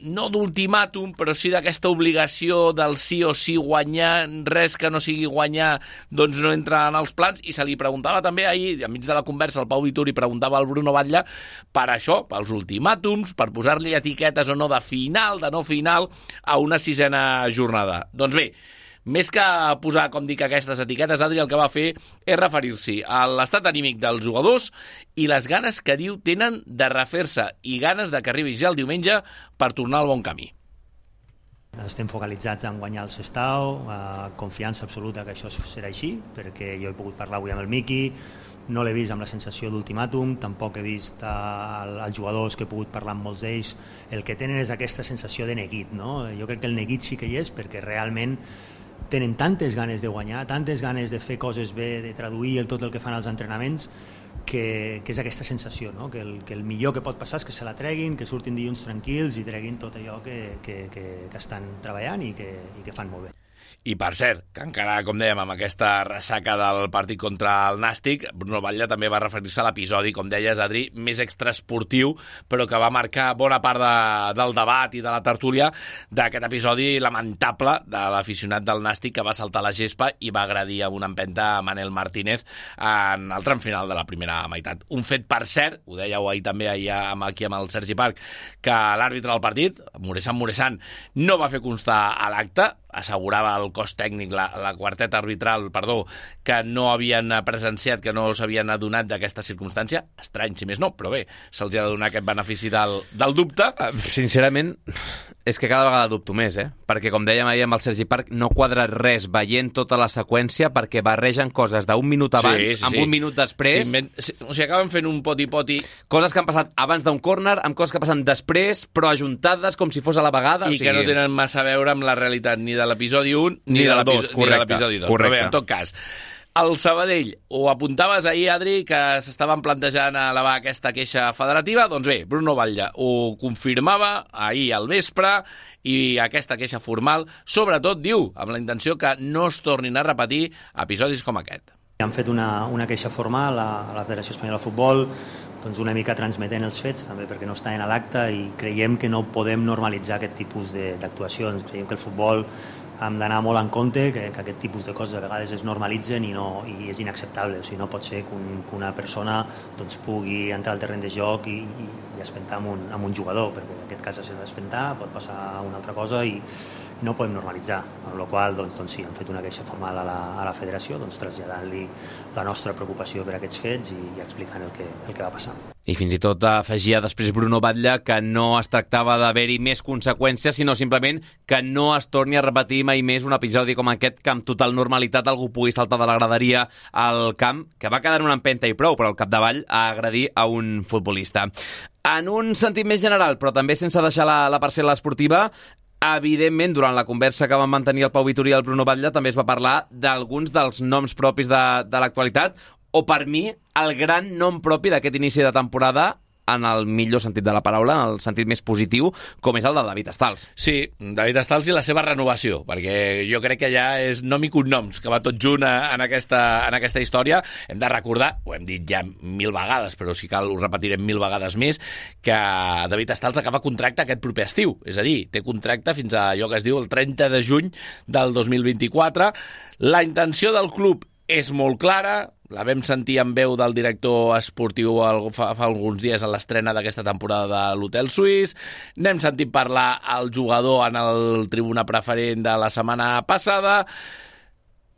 no d'ultimàtum, però sí d'aquesta obligació del sí o sí guanyar, res que no sigui guanyar doncs no entra en els plans, i se li preguntava també ahir, enmig de la conversa, el Pau Vituri preguntava al Bruno Batlle per això, pels ultimàtums, per posar-li etiquetes o no de final, de no final, a una sisena jornada. Doncs bé, més que posar, com dic, aquestes etiquetes, Adri el que va fer és referir-s'hi a l'estat anímic dels jugadors i les ganes que diu tenen de refer-se i ganes de que arribi ja el diumenge per tornar al bon camí. Estem focalitzats en guanyar el Sestao, confiança absoluta que això serà així, perquè jo he pogut parlar avui amb el Miqui, no l'he vist amb la sensació d'ultimàtum, tampoc he vist els jugadors que he pogut parlar amb molts d'ells, el que tenen és aquesta sensació de neguit, no? Jo crec que el neguit sí que hi és, perquè realment tenen tantes ganes de guanyar, tantes ganes de fer coses bé, de traduir tot el que fan als entrenaments, que és aquesta sensació, no? Que el millor que pot passar és que se la treguin, que surtin dilluns tranquils i treguin tot allò que estan treballant i que fan molt bé. I per cert, que encara, com dèiem, amb aquesta ressaca del partit contra el Nàstic, Bruno Batlle també va referir-se a l'episodi, com deies, Adri, més extraesportiu, però que va marcar bona part del debat i de la tertúlia d'aquest episodi lamentable de l'aficionat del Nàstic que va saltar la gespa i va agredir amb una empenta a Manel Martínez en el tram final de la primera meitat. Un fet, per cert, ho dèieu ahir també aquí amb el Sergi Parc, que l'àrbitre del partit, Muresan, no va fer constar a l'acte, assegurava el cos tècnic, la quarteta arbitral, que no havien presenciat, que no s'havien adonat d'aquesta circumstància. Estrany, si més no, però bé, se'ls ha de donar aquest benefici del dubte. Sincerament, és que cada vegada dubto més, perquè com dèiem ahir amb el Sergi Parc, no quadra res veient tota la seqüència, perquè barregen coses d'un minut abans amb un minut després. O sigui, acaben fent un poti-poti. Coses que han passat abans d'un córner, amb coses que passen després, però ajuntades com si fos a la vegada. I que no tenen massa a veure amb la realitat ni de l'episodi 1 ni de l'episodi 2. Però bé, en tot cas, el Sabadell, ho apuntaves ahir, Adri, que s'estaven plantejant elevar aquesta queixa federativa. Doncs bé, Bruno Batlle ho confirmava ahir al vespre i aquesta queixa formal, sobretot, diu, amb la intenció que no es tornin a repetir episodis com aquest. Han fet una queixa formal a la Federació Espanyola de Futbol, doncs una mica transmetent els fets, també perquè no estaven a l'acte, i creiem que no podem normalitzar aquest tipus d'actuacions. Creiem que el futbol hem d'anar molt en compte, que aquest tipus de coses a vegades es normalitzen i és inacceptable. O sigui, no pot ser que una persona doncs, pugui entrar al terreny de joc i espentar amb un jugador, perquè en aquest cas s'ha d'espentar, pot passar una altra cosa i no podem normalitzar, amb la qual cosa sí, hem fet una queixa formal a la federació, traslladant-li la nostra preocupació per aquests fets i explicant el que va passar. I fins i tot afegia després Bruno Batlle que no es tractava d'haver-hi més conseqüències, sinó simplement que no es torni a repetir mai més un episodi com aquest, que amb total normalitat algú pugui saltar de la graderia al camp, que va quedar en una empenta i prou, però al capdavall a agredir a un futbolista. En un sentit més general, però també sense deixar la parcel·la esportiva, evidentment, durant la conversa que van mantenir el Pau Vituri i el Bruno Batlle, també es va parlar d'alguns dels noms propis de l'actualitat, o per mi, el gran nom propi d'aquest inici de temporada, en el millor sentit de la paraula, en el sentit més positiu, com és el de David Stals. Sí, David Stals i la seva renovació, perquè jo crec que ja és nom i cognoms, que va tot junt en aquesta història. Hem de recordar, ho hem dit ja 1000 vegades, però si cal ho repetirem 1000 vegades més, que David Stals acaba contracte aquest proper estiu. És a dir, té contracte fins a allò que es diu el 30 de juny del 2024. La intenció del club és molt clara, la vam sentir en veu del director esportiu fa alguns dies a l'estrena d'aquesta temporada de l'Hotel Suís, n'hem sentit parlar al jugador en el tribuna preferent de la setmana passada.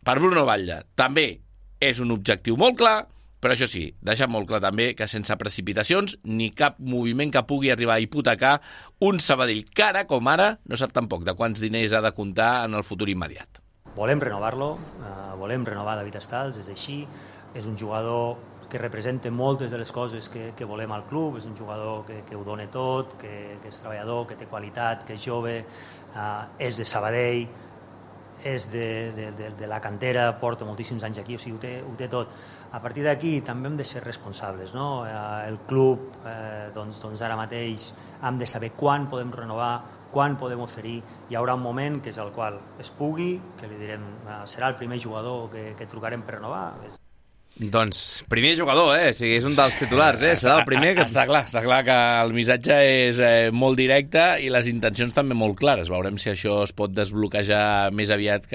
Per Bruno Batlle també és un objectiu molt clar, però això sí, deixa molt clar també que sense precipitacions ni cap moviment que pugui arribar a hipotecar un Sabadell que ara, com ara, no sap tampoc de quants diners ha de comptar en el futur immediat. Volem renovar-lo, volem renovar David Stals, és així, és un jugador que representa moltes de les coses que volem al club, és un jugador que ho dona tot, que és treballador, que té qualitat, que és jove, és de Sabadell, és de la cantera, porta moltíssims anys aquí, o sigui, ho té tot. A partir d'aquí també hem de ser responsables, no? El club, doncs ara mateix hem de saber quan podem renovar, quan podem oferir. Hi haurà un moment que és el qual es pugui, que li direm, serà el primer jugador que trucarem per renovar. Doncs primer jugador, o sigui, és un dels titulars, serà el primer que... Està clar que el missatge és molt directe i les intencions també molt clares. Veurem si això es pot desbloquejar més aviat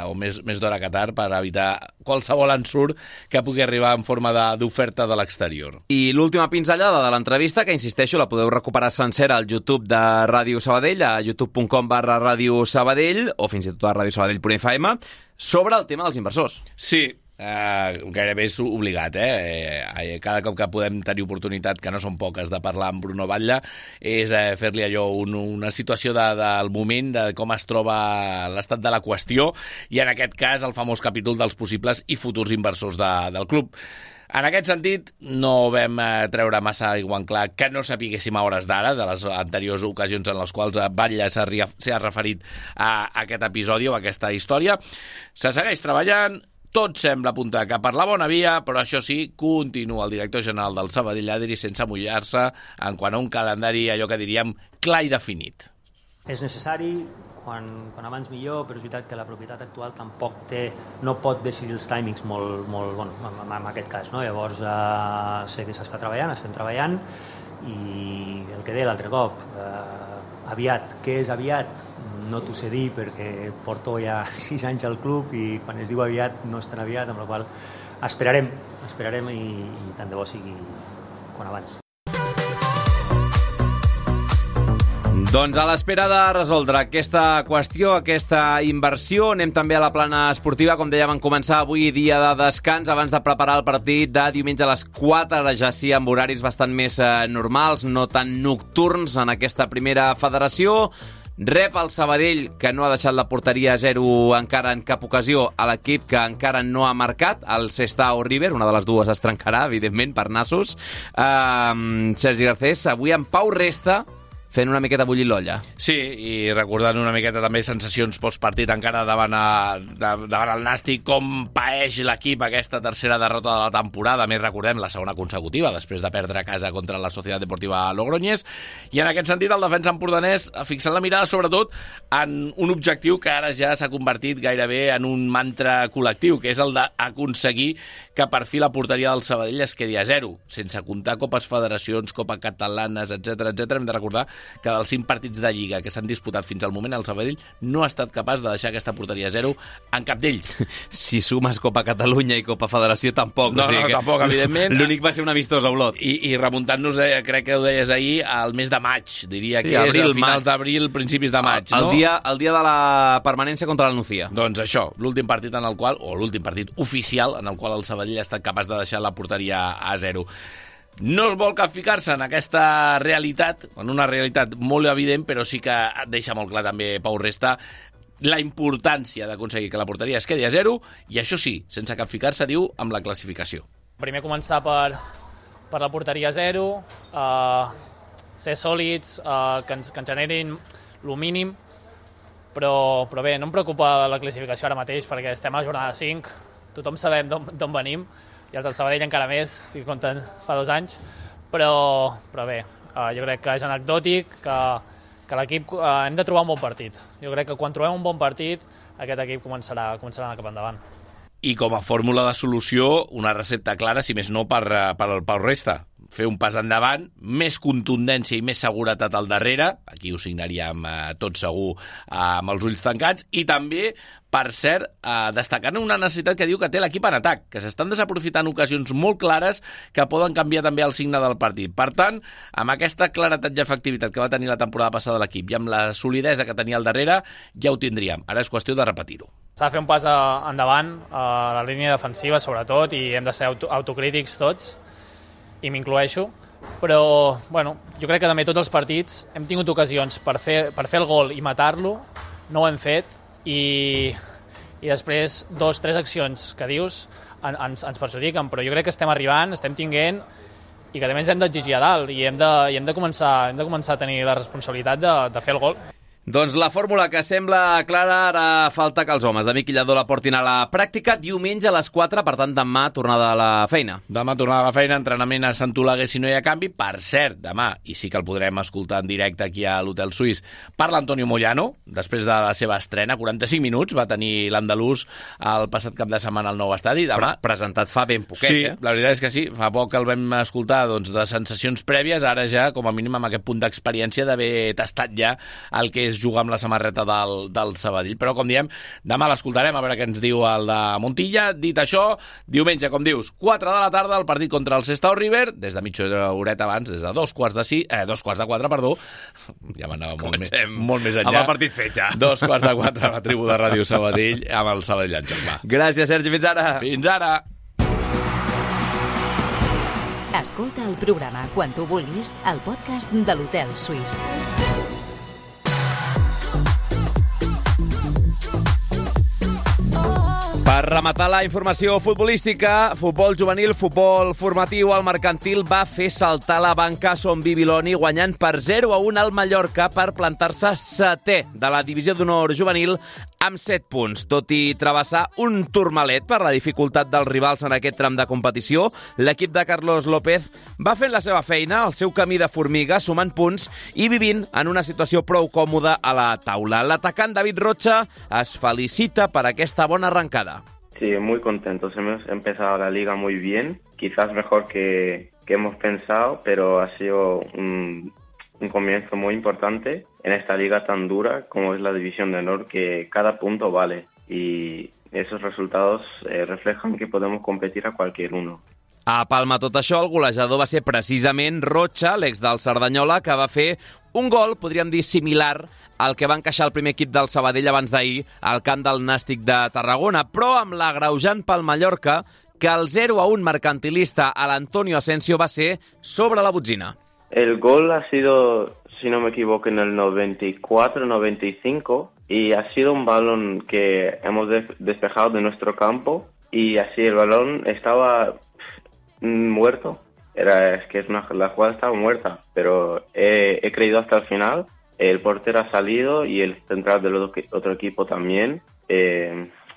o més d'hora que tard per evitar qualsevol ensurt que pugui arribar en forma d'oferta de l'exterior. I l'última pinzellada de l'entrevista, que insisteixo, la podeu recuperar sencera al YouTube de Ràdio Sabadell, a youtube.com/Ràdio Sabadell, o fins i tot a radiosabadell.fm, sobre el tema dels inversors. Sí, gairebé és obligat, cada cop que podem tenir oportunitat, que no són poques, de parlar amb Bruno Batlle, és fer-li allò una situació del moment, de com es troba l'estat de la qüestió, i en aquest cas el famós capítol dels possibles i futurs inversors del club. En aquest sentit, no vam treure massa aigua en clar que no sapiguéssim a hores d'ara de les anteriors ocasions en les quals Batlle s'ha referit a aquest episodi o a aquesta història. Se segueix treballant, tot sembla apuntar cap per la bona via, però això sí, continua el director general del Sabadell Adri sense mullar-se en quant a un calendari, allò que diríem, clar i definit. És necessari, quan abans millor, però és veritat que la propietat actual tampoc no pot decidir els timings molt en aquest cas, no? Llavors sé que s'està treballant, estem treballant, i el que deia l'altre cop, aviat, què és aviat? No t'ho sé dir perquè porto ja 6 anys al club i quan es diu aviat no és tan aviat, amb la qual esperarem i tant de bo sigui quan abans. Doncs a l'espera de resoldre aquesta qüestió, aquesta inversió, anem també a la plana esportiva. Com dèiem, en començar avui dia de descans abans de preparar el partit de diumenge a les 4, ara ja sí, amb horaris bastant més normals, no tan nocturns en aquesta primera federació. Rep el Sabadell, que no ha deixat la porteria a 0 encara en cap ocasió, a l'equip que encara no ha marcat, el Sestao River, una de les dues es trencarà, evidentment, per nassos. Sergi Garcés, avui en Pau Resta, fent una miqueta bullir l'olla. Sí, i recordant una miqueta també sensacions postpartit encara davant el Nàstic, com paeix l'equip aquesta tercera derrota de la temporada, més recordem la segona consecutiva, després de perdre a casa contra la Societat Deportiva Logroñés, i en aquest sentit el defensa empordanès fixant la mirada sobretot en un objectiu que ara ja s'ha convertit gairebé en un mantra col·lectiu, que és el d'aconseguir que per fi la porteria del Sabadell es quedi a 0, sense comptar copes federacions, copa catalanes, etc. Hem de recordar que dels 5 partits de Lliga que s'han disputat fins al moment, el Sabadell no ha estat capaç de deixar aquesta porteria a 0 en cap d'ells. Si sumes Copa Catalunya i Copa Federació, tampoc. No, tampoc, evidentment. L'únic va ser un amistós a Olot. I remuntant-nos, crec que ho deies ahir, al mes de maig, diria que és a finals d'abril, principis de maig. El dia de la permanència contra la Nucía. Doncs això, l'últim partit l'últim partit oficial en el qual el Sabadell ha estat capaç de deixar la porteria a 0. No es vol capficar-se en aquesta realitat, en una realitat molt evident, però sí que deixa molt clar també Pau Resta la importància d'aconseguir que la porteria es quedi a 0, i això sí, sense capficar-se, diu, amb la classificació. Primer començar per la porteria a 0, ser sòlids, que ens generin el mínim, però bé, no em preocupa la classificació ara mateix perquè estem a la jornada 5, tothom sabem d'on venim, i els del Sabadell encara més, si compten fa 2 anys, però bé, jo crec que és anecdòtic, que l'equip hem de trobar un bon partit. Jo crec que quan trobem un bon partit, aquest equip començarà a anar cap endavant. I com a fórmula de solució, una recepta clara, si més no, per al Pau Resta. fer un pas endavant, més contundència i més seguretat al darrere, aquí ho signaríem tot segur amb els ulls tancats, i també, per cert, destacant una necessitat que diu que té l'equip en atac, que s'estan desaprofitant ocasions molt clares que poden canviar també el signe del partit. Per tant, amb aquesta claretat i efectivitat que va tenir la temporada passada l'equip i amb la solidesa que tenia al darrere, ja ho tindríem. Ara és qüestió de repetir-ho. S'ha de fer un pas endavant a la línia defensiva, sobretot, i hem de ser autocrítics tots, i m'incloeixo. Però, bueno, jo crec que també tots els partits hem tingut ocasions per fer el gol i matar-lo, no ho hem fet, i després 2 o 3 accions que dius ens perjudiquen, però jo crec que estem arribant, estem tinguent, i que també ens hem d'exigir a dalt, i hem de començar a tenir la responsabilitat de fer el gol. Doncs la fórmula que sembla clara, ara falta que els homes de Miqui Lladó la portin a la pràctica diumenge a les 4, per tant demà tornada a la feina. Demà tornada a la feina, entrenament a Sant Oleguer si no hi ha canvi. Per cert, demà, i sí que el podrem escoltar en directe aquí a l'Hotel Suís, parla Antonio Moyano, després de la seva estrena, 45 minuts, va tenir l'andalús el passat cap de setmana al nou estadi. Demà, presentat fa ben poquet, sí, la veritat és que sí, fa poc que el vam escoltar doncs, de sensacions prèvies, ara ja com a mínim amb aquest punt d'experiència d'haver tastat ja el que és jugar amb la samarreta del Sabadell. Però, com diem, demà l'escoltarem, a veure què ens diu el de Montilla. Dit això, diumenge, com dius, 4 de la tarda, el partit contra el Sestao River, des de mitja horeta abans, des de 2:45, perdó, ja m'anava molt més enllà. Amb el partit fet ja. 2:45 a la tribu de Ràdio Sabadell, amb el Sabadell en joc. Va. Gràcies, Sergi, fins ara. Fins ara. Escolta el programa quan tu vulguis al podcast de l'Hotel Suís. Per rematar la informació futbolística, futbol juvenil, futbol formatiu, el Mercantil va fer saltar la banca Son Bibiloni guanyant per 0-1 al Mallorca per plantar-se 7è de la divisió d'honor juvenil amb 7 punts. Tot i travessar un turmalet per la dificultat dels rivals en aquest tram de competició, l'equip de Carlos López va fent la seva feina, el seu camí de formiga, sumant punts i vivint en una situació prou còmoda a la taula. L'atacant David Rocha es felicita per aquesta bona arrancada. Sí, muy contentos. Hemos empezado la liga muy bien, quizás mejor que hemos pensado, pero ha sido un comienzo muy importante en esta liga tan dura como es la División de Honor, que cada punto vale y esos resultados reflejan que podemos competir a cualquier uno. A Palma tot això, el golejador va ser precisament Rocha, l'ex del Cerdanyola, que va fer un gol, podríem dir, similar al que va encaixar el primer equip del Sabadell abans d'ahir al camp del Nàstic de Tarragona, però amb l'agreujant pel Mallorca que el 0-1 mercantilista a l'Antonio Asensio va ser sobre la botzina. El gol ha sido, si no me equivoco, en el 94-95 y ha sido un balón que hemos despejado de nuestro campo y así el balón estaba muerto. La jugada estaba muerta, pero he creído hasta el final. El portero ha salido y el central del otro equipo también.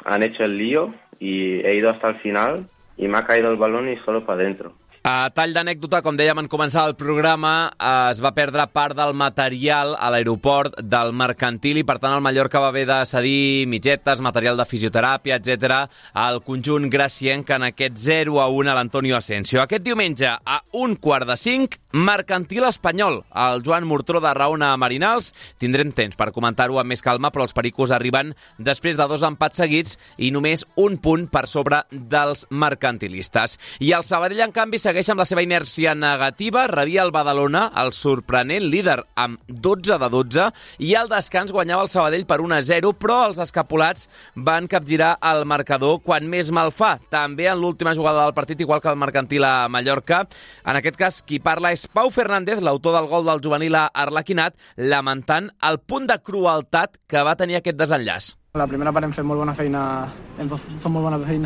Han hecho el lío y he ido hasta el final y me ha caído el balón y solo para adentro. A tall d'anècdota, com dèiem en començar el programa, es va perdre part del material a l'aeroport del Mercantil i, per tant, el Mallorca va haver de cedir mitgetes, material de fisioteràpia, etc. al conjunt gracienc en aquest 0-1 a l'Antonio Asensio. Aquest diumenge, a 4:45, Mercantil espanyol. El Joan Murtró de Raona Marinals. Tindrem temps per comentar-ho amb més calma, però els pericos arriben després de 2 empats seguits i només un punt per sobre dels mercantilistes. I el Sabadell, en canvi, segueix amb la seva inèrcia negativa, rebia el Badalona, el sorprenent líder, amb 12-12, i al descans guanyava el Sabadell per 1-0, però els escapulats van capgirar el marcador quan més mal fa. També en l'última jugada del partit, igual que el Mercantil a Mallorca. En aquest cas, qui parla és Pau Fernández, l'autor del gol del juvenil a Arlequinat, lamentant el punt de crueltat que va tenir aquest desenllaç. La primera part hem fet molt bona feina,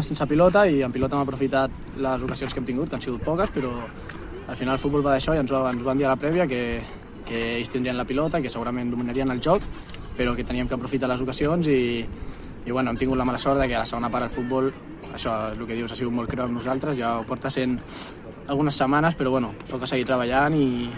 sense pilota, i en pilota hem aprofitat les ocasions que hem tingut, que han sigut poques, però al final el futbol va d'això i ens van dir a la prèvia que ells tindrien la pilota, que segurament dominarien el joc, però que teníem que aprofitar les ocasions i bueno, hem tingut la mala sort que a la segona part el futbol, això és el que dius, ha sigut molt creu amb nosaltres, ja ho porta sent algunes setmanes, però bueno, toca seguir treballant i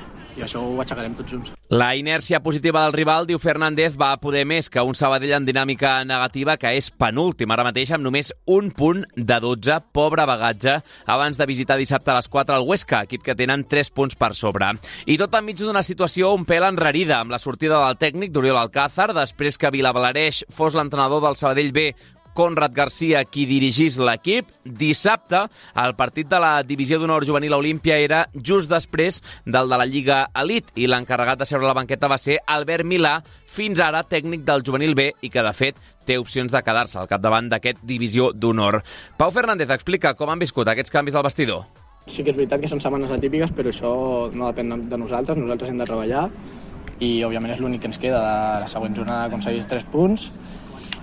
això ho aixecarem tots junts. La inèrcia positiva del rival, diu Fernández, va poder més que un Sabadell en dinàmica negativa, que és penúltim ara mateix amb només un punt de 12, pobre bagatge, abans de visitar dissabte a les 4 al Huesca, equip que tenen 3 punts per sobre. I tot enmig d'una situació un pèl enrarida, amb la sortida del tècnic d'Oriol Alcázar, després que Vilablareix fos l'entrenador del Sabadell B, Conrad Garcia, qui dirigís l'equip. Dissabte, el partit de la divisió d'honor juvenil a Olímpia era just després del de la Lliga Elite i l'encarregat de seure a la banqueta va ser Albert Milà, fins ara tècnic del juvenil B i que, de fet, té opcions de quedar-se al capdavant d'aquest divisió d'honor. Pau Fernández explica com han viscut aquests canvis al vestidor. Sí que és veritat que són setmanes atípiques, però això no depèn de nosaltres hem de treballar i, òbviament, és l'únic que ens queda. La següent jornada aconseguís 3 punts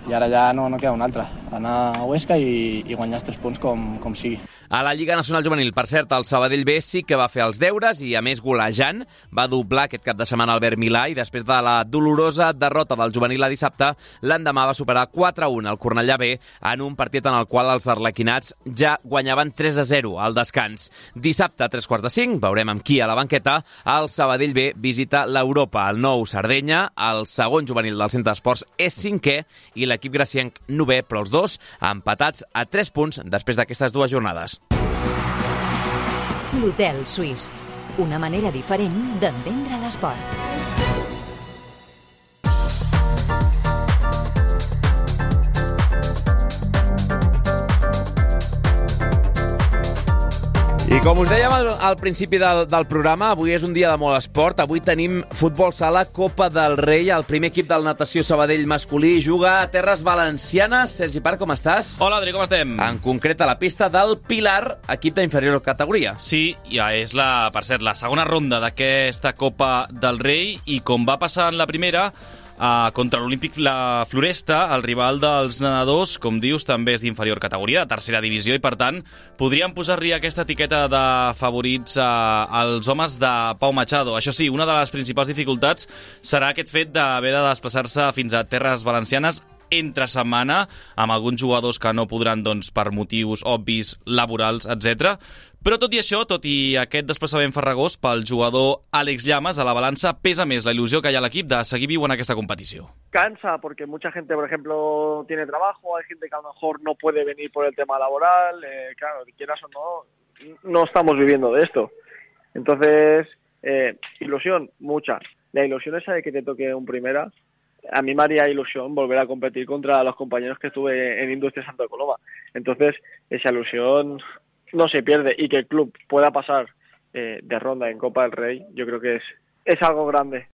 i ara ja no queda un altre, anar a Huesca i guanyar els 3 punts com sigui. A la Lliga Nacional Juvenil, per cert, el Sabadell B sí que va fer els deures i, a més, golejant, va doblar aquest cap de setmana Albert Milà i després de la dolorosa derrota del juvenil a dissabte, l'endemà va superar 4-1 el Cornellà B en un partit en el qual els arlequinats ja guanyaven 3-0 al descans. Dissabte, a 3:45, veurem amb qui a la banqueta, el Sabadell B visita l'Europa, el nou Sardenya, el segon juvenil del Centre d'Esports és 5è i l'equip gracienc 9è, però els dos empatats a 3 punts després d'aquestes dues jornades. L'Hotel Suís, una manera diferent d'entendre l'esport. I com us dèiem al principi del programa, avui és un dia de molt esport. Avui tenim futbol sala, Copa del Rei. El primer equip del Natació Sabadell masculí juga a terres valencianes. Sergi Parc, com estàs? Hola, Adri, com estem? En concret, a la pista del Pilar, equip d'inferior categoria. Sí, ja és, per cert, la segona ronda d'aquesta Copa del Rei i com va passar en la primera, contra l'Olímpic La Floresta, el rival dels nedadors, com dius, també és d'inferior categoria, de tercera divisió, i per tant podríem posar-li aquesta etiqueta de favorits als homes de Pau Machado. Això sí, una de les principals dificultats serà aquest fet d'haver de desplaçar-se fins a terres valencianes entre setmana, amb alguns jugadors que no podran, per motius obvis, laborals, etc. Però tot i això, tot i aquest desplaçament farragós, pel jugador Àlex Llamas, a la balança pesa més la il·lusió que hi ha a l'equip de seguir viu en aquesta competició. Cansa porque mucha gente, por ejemplo, tiene trabajo, hay gente que a lo mejor no puede venir por el tema laboral, claro, quieras o no estamos viviendo de esto. Entonces, ilusión, mucha. La ilusión esa de que te toque un primera. A mí me haría ilusión volver a competir contra los compañeros que estuve en Industria Santa Coloma. Entonces, esa ilusión no se pierde y que el club pueda pasar de ronda en Copa del Rey, yo creo que es algo grande.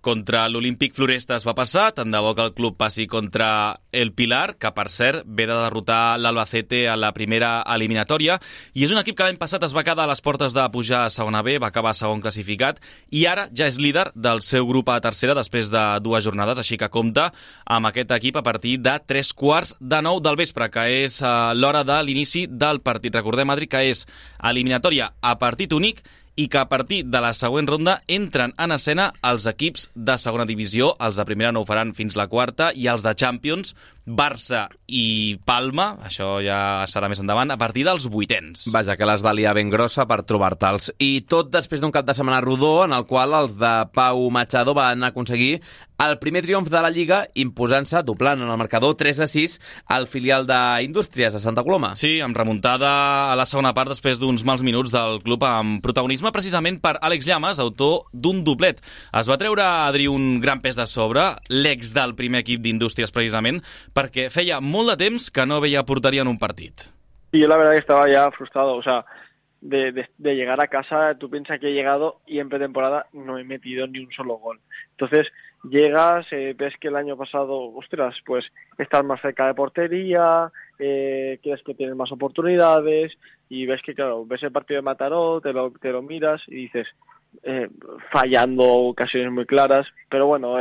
Contra l'Olímpic Floresta es va passar, tant de bo que el club passi contra el Pilar, que per cert ve de derrotar l'Albacete a la primera eliminatòria, i és un equip que l'any passat es va quedar a les portes de pujar a segona B, va acabar segon classificat, i ara ja és líder del seu grup a tercera després de 2 jornades, així que compta amb aquest equip a partir de 9:15 del vespre, que és l'hora de l'inici del partit. Recordem, Adri, que és eliminatòria a partit únic i que a partir de la següent ronda entren en escena els equips de segona divisió. Els de primera no ho faran fins la quarta, i els de Champions, Barça i Palma, això ja serà més endavant, a partir dels 8ens. Vaja, que l'has de liar ben grossa per trobar-te'ls. I tot després d'un cap de setmana rodó en el qual els de Pau Machado van aconseguir el primer triomf de la Lliga, imposant-se, doblant en el marcador 3-6 al filial d'Indústries a Santa Coloma. Sí, amb remuntada a la segona part després d'uns mals minuts del club, amb protagonisme precisament per Àlex Llamas, autor d'un doblet. Es va treure, Adri, un gran pes de sobre, l'ex del primer equip d'Indústries precisament, perquè feia molt de temps que no veia porteria en un partit. Y yo la verdad que estaba ya frustrado, o sea, de llegar a casa, tú piensas que he llegado y en pretemporada no he metido ni un solo gol. Entonces llegas, ves que el año pasado, ostras, pues estás más cerca de portería, crees que tienes más oportunidades y ves que, claro, ves el partido de Mataró, te lo miras y dices, fallando ocasiones muy claras, pero bueno,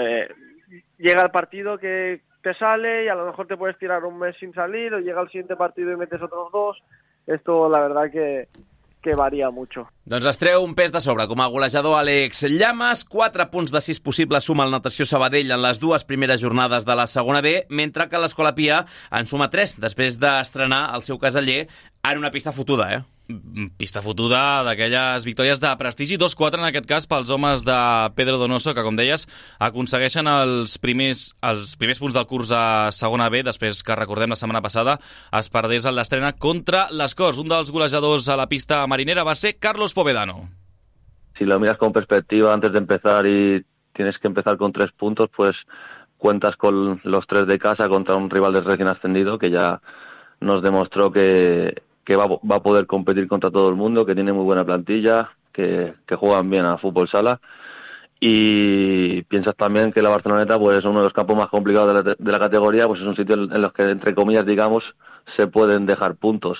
llega el partido que te sale y a lo mejor te puedes tirar un mes sin salir, o llega el siguiente partido y metes otros 2. Esto la verdad que varia mucho. Doncs es treu un pes de sobre com a golejador Àlex Llamas. 4 punts de 6 possibles suma el Natació Sabadell en les 2 primeres jornades de la segona B, mentre que l'Escola Pia en suma 3 després d'estrenar el seu caseller en una pista fotuda, pista fotuda d'aquelles victòries de prestigi, 2-4 en aquest cas pels homes de Pedro Donoso, que com deies aconsegueixen els primers punts del curs a segona B, després que recordem la setmana passada es perdés en l'estrena contra les Corts. Un dels golejadors a la pista marinera va ser Carlos Povedano. Si lo miras con perspectiva antes de empezar y tienes que empezar con 3 puntos, pues cuentas con los 3 de casa contra un rival del recién ascendido que ya nos demostró que va a poder competir contra todo el mundo, que tiene muy buena plantilla, que juegan bien a fútbol sala. Y piensas también que la Barceloneta, pues es uno de los campos más complicados de la categoría, pues es un sitio en los que, entre comillas, digamos, se pueden dejar puntos.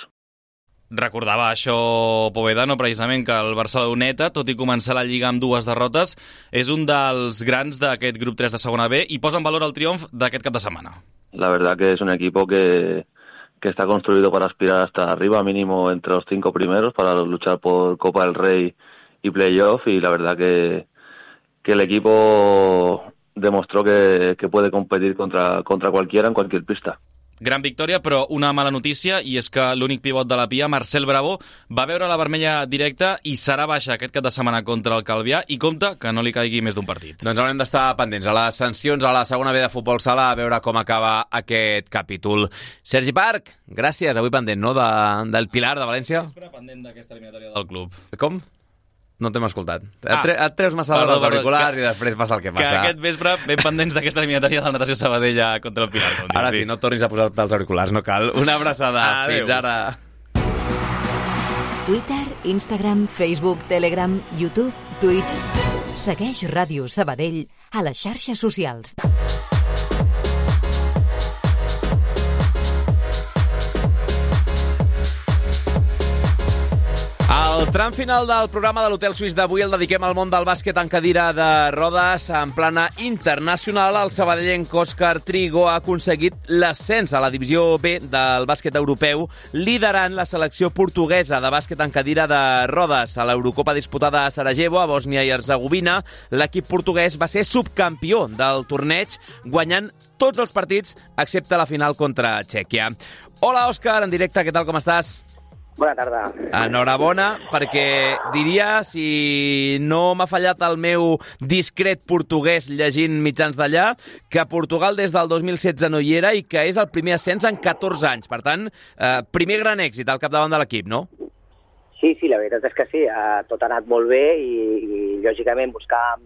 Recordava això Povedano, precisament, que el Barceloneta, tot i començar la Lliga amb 2 derrotes, és un dels grans d'aquest grup 3 de segona B i posa en valor el triomf d'aquest cap de setmana. La verdad que es un equipo que está construido para aspirar hasta arriba, mínimo entre los 5 primeros, para luchar por Copa del Rey y Playoff, y la verdad que el equipo demostró que puede competir contra cualquiera en cualquier pista. Gran victòria, però una mala notícia, i és que l'únic pivot de la Pia, Marcel Bravo, va veure la vermella directa i serà baixa aquest cap de setmana contra el Calvià, i compta que no li caigui més d'un partit. Doncs haurem d'estar pendents a les sancions a la segona B de futbol sala, a veure com acaba aquest capítol. Sergi Parc, gràcies, avui pendent, no?, del Pilar de València. Pendent d'aquesta eliminatòria del club. Com? No t'hem escoltat. Et treus massa dels auriculars i després passa el que passa. Que aquest vespre ben pendents d'aquesta eliminatòria del Natació Sabadell contra el Pilar. Ara sí, no tornis a posar-te els auriculars, no cal. Una abraçada. Fins ara. Twitter, Instagram, Facebook, Telegram, YouTube, Twitch. Segueix Ràdio Sabadell a les xarxes socials. El tram final del programa de l'Hotel Suís d'avui el dediquem al món del bàsquet en cadira de rodes en plana internacional. El sabadellenc Òscar Trigo ha aconseguit l'ascens a la divisió B del bàsquet europeu, liderant la selecció portuguesa de bàsquet en cadira de rodes. A l'Eurocopa disputada a Sarajevo, a Bòsnia i Herzegovina, l'equip portuguès va ser subcampió del torneig, guanyant tots els partits excepte la final contra Txèquia. Hola, Òscar, en directe, què tal, com estàs? Bona tarda. Enhorabona, perquè diria, si no m'ha fallat el meu discret portuguès llegint mitjans d'allà, que Portugal des del 2016 no hi era i que és el primer ascens en 14 anys. Per tant, primer gran èxit al capdavant de l'equip, no? Sí, la veritat és que sí. Tot ha anat molt bé i lògicament buscàvem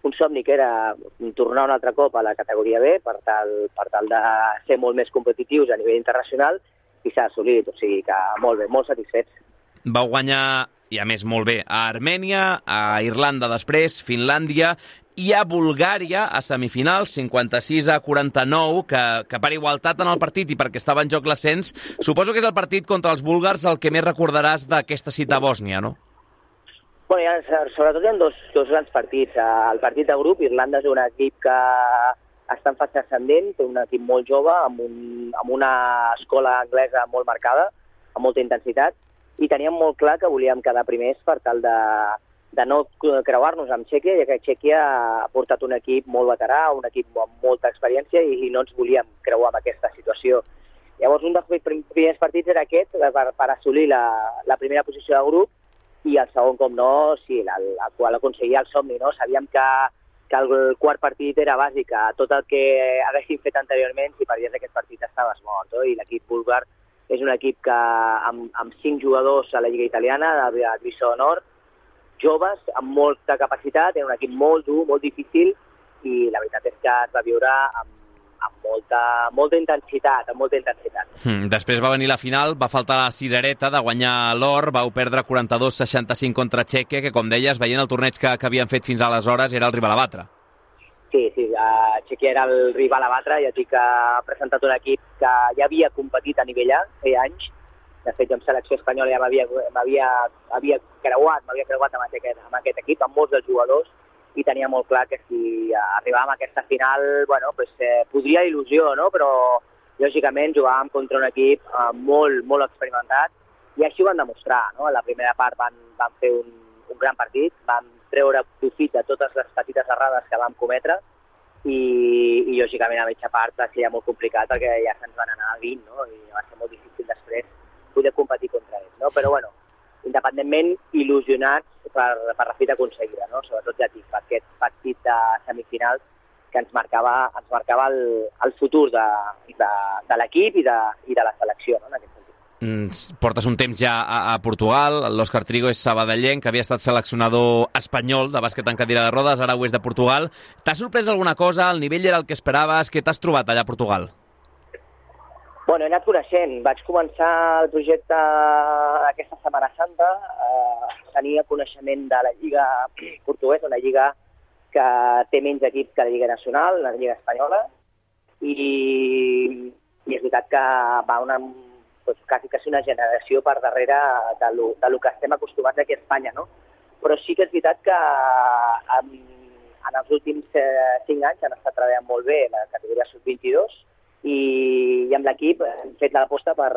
un somni que era tornar un altre cop a la categoria B per tal de ser molt més competitius a nivell internacional, i s'ha assolit, o sigui que molt bé, molt satisfets. Vau guanyar, i a més molt bé, a Armènia, a Irlanda després, Finlàndia i a Bulgària a semifinals, 56-49, que per igualtat en el partit i perquè estava en joc l'ascens, suposo que és el partit contra els búlgars el que més recordaràs d'aquesta cita a Bòsnia, no? Bueno, sobretot hi ha dos grans partits. El partit de grup, Irlanda és un equip que està en fase ascendent, té un equip molt jove, amb una escola anglesa molt marcada, amb molta intensitat, i teníem molt clar que volíem quedar primers per tal de no creuar-nos amb Txèquia, ja que Txèquia ha portat un equip molt veterà, un equip amb molta experiència, i no ens volíem creuar amb aquesta situació. Llavors, un dels primers partits era aquest, per assolir la primera posició de grup, i el segon, com no, sí, el qual aconseguia el somni, no? Sabíem que el quart partit era bàsic, tot el que haguéssim fet anteriorment, si perdies aquest partit estaves mort, i l'equip búlgar és un equip que amb 5 jugadors a la Lliga Italiana, de divisió d'honor, joves, amb molta capacitat, era un equip molt dur, molt difícil, i la veritat és que es va viure amb molta intensitat, Després va venir la final, va faltar la cirereta de guanyar l'or, vau perdre 42-65 contra Txèquia, que com deies, veient el torneig que havien fet fins aleshores, era el rival a batre. Sí, Txèquia era el rival a batre, ja dic que ha presentat un equip que ja havia competit a nivell A, feia anys. De fet, jo amb selecció espanyola ja m'havia creuat amb aquest equip, amb molts dels jugadors, i tenia molt clar que si arribàvem a aquesta final, bueno, pues, podria il·lusió, no? Però lògicament jugàvem contra un equip molt experimentat, i així ho van demostrar, no? A la primera part van fer un gran partit, van treure profit de totes les petites errades que vam cometre, i lògicament a mitja part va ser ja molt complicat perquè ja se'ns van anar a 20, no? I va ser molt difícil després poder competir contra ells, no? Però, bueno, independentment, il·lusionats per la fita aconseguida, no? Sobretot ja per aquest partit de semifinals que ens marcava el futur de l'equip i de la selecció, no? En aquest sentit. Portes un temps ja a Portugal, l'Òscar Trigo és sabadellenc, que havia estat seleccionador espanyol de bàsquet en cadira de rodes, ara ho és de Portugal. T'ha sorprès alguna cosa? El nivell era el que esperaves? Què t'has trobat allà a Portugal? Bueno, he anat coneixent. Vaig començar el projecte aquesta Setmana Santa. Tenia coneixement de la Lliga Portuguesa, una lliga que té menys equips que la Lliga Nacional, la Lliga Espanyola, i és veritat que va quasi una generació per darrere de lo que estem acostumats aquí a Espanya, no? Però sí que és veritat que en els últims 5 anys han estat treballant molt bé la categoria sub-22 i amb l'equip hem fet l'aposta per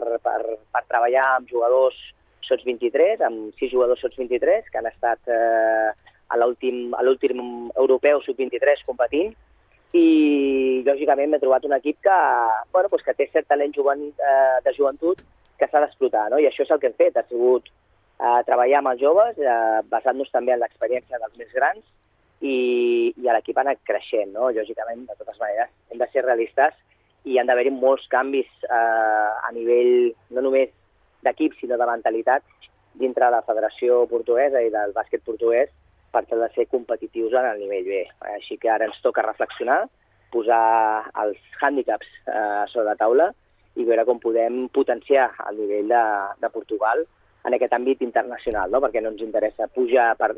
treballar amb jugadors sots 23, amb 6 jugadors sots 23 que han estat a l'últim europeu sub-23 competint, i lògicament m'he trobat un equip que té cert talent de joventut que s'ha d'explotar, no? I això és el que hem fet, ha sigut treballar amb els joves, basant-nos també en l'experiència dels més grans, i l'equip ha anat creixent, no? Lògicament, de totes maneres, hem de ser realistes i han d'haver-hi molts canvis a nivell no només d'equip, sinó de mentalitat dintre de la Federació Portuguesa i del bàsquet portuguès per tal de ser competitius en el nivell B. Així que ara ens toca reflexionar, posar els hàndicaps sobre la taula i veure com podem potenciar el nivell de Portugal en aquest àmbit internacional, no? Perquè no ens interessa pujar per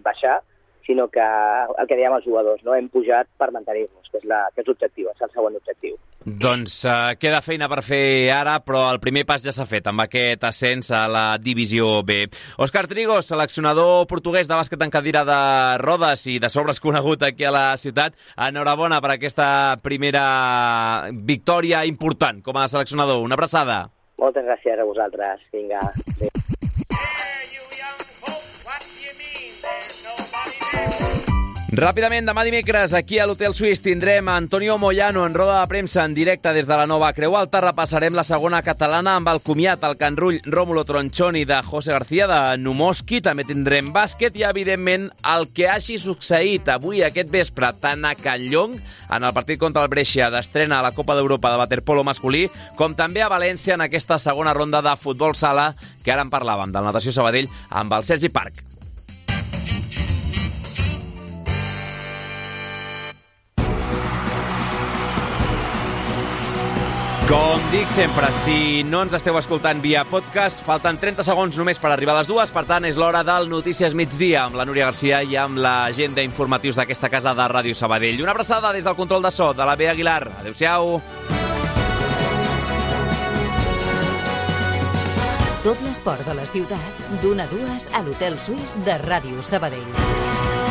baixar, sinó que el que dèiem els jugadors, no? Hem pujat per mantenir-nos, que és l'objectiu, és el següent objectiu. Doncs queda feina per fer ara, però el primer pas ja s'ha fet amb aquest ascens a la Divisió B. Òscar Trigo, seleccionador portuguès de bàsquet en cadira de rodes i de sobres conegut aquí a la ciutat, enhorabona per aquesta primera victòria important com a seleccionador. Una abraçada. Moltes gràcies a vosaltres. Vinga. Adéu. Ràpidament, demà dimecres, aquí a l'Hotel Suís tindrem Antonio Moyano en roda de premsa en directe des de la Nova Creu Alta. Repassarem la segona catalana amb el comiat al Can Rull Rómulo Tronchoni de José García de Numoski. També tindrem bàsquet i, evidentment, el que hagi succeït avui aquest vespre tant a Can Llong, en el partit contra el Brescia d'estrena a la Copa d'Europa de waterpolo masculí, com també a València en aquesta segona ronda de futbol sala, que ara en parlàvem, del Natació Sabadell, amb el Sergi Parc. Com dic sempre, si no ens esteu escoltant via podcast, falten 30 segons només per arribar a les 2, per tant és l'hora del Notícies Migdia amb la Núria Garcia i amb l'agenda informatius d'aquesta casa de Ràdio Sabadell. Una abraçada des del control de so de la Bea Aguilar. Adéu-siau. Tot l'esport de la ciutat, d'1 a 2 a l'Hotel Suís de Ràdio Sabadell.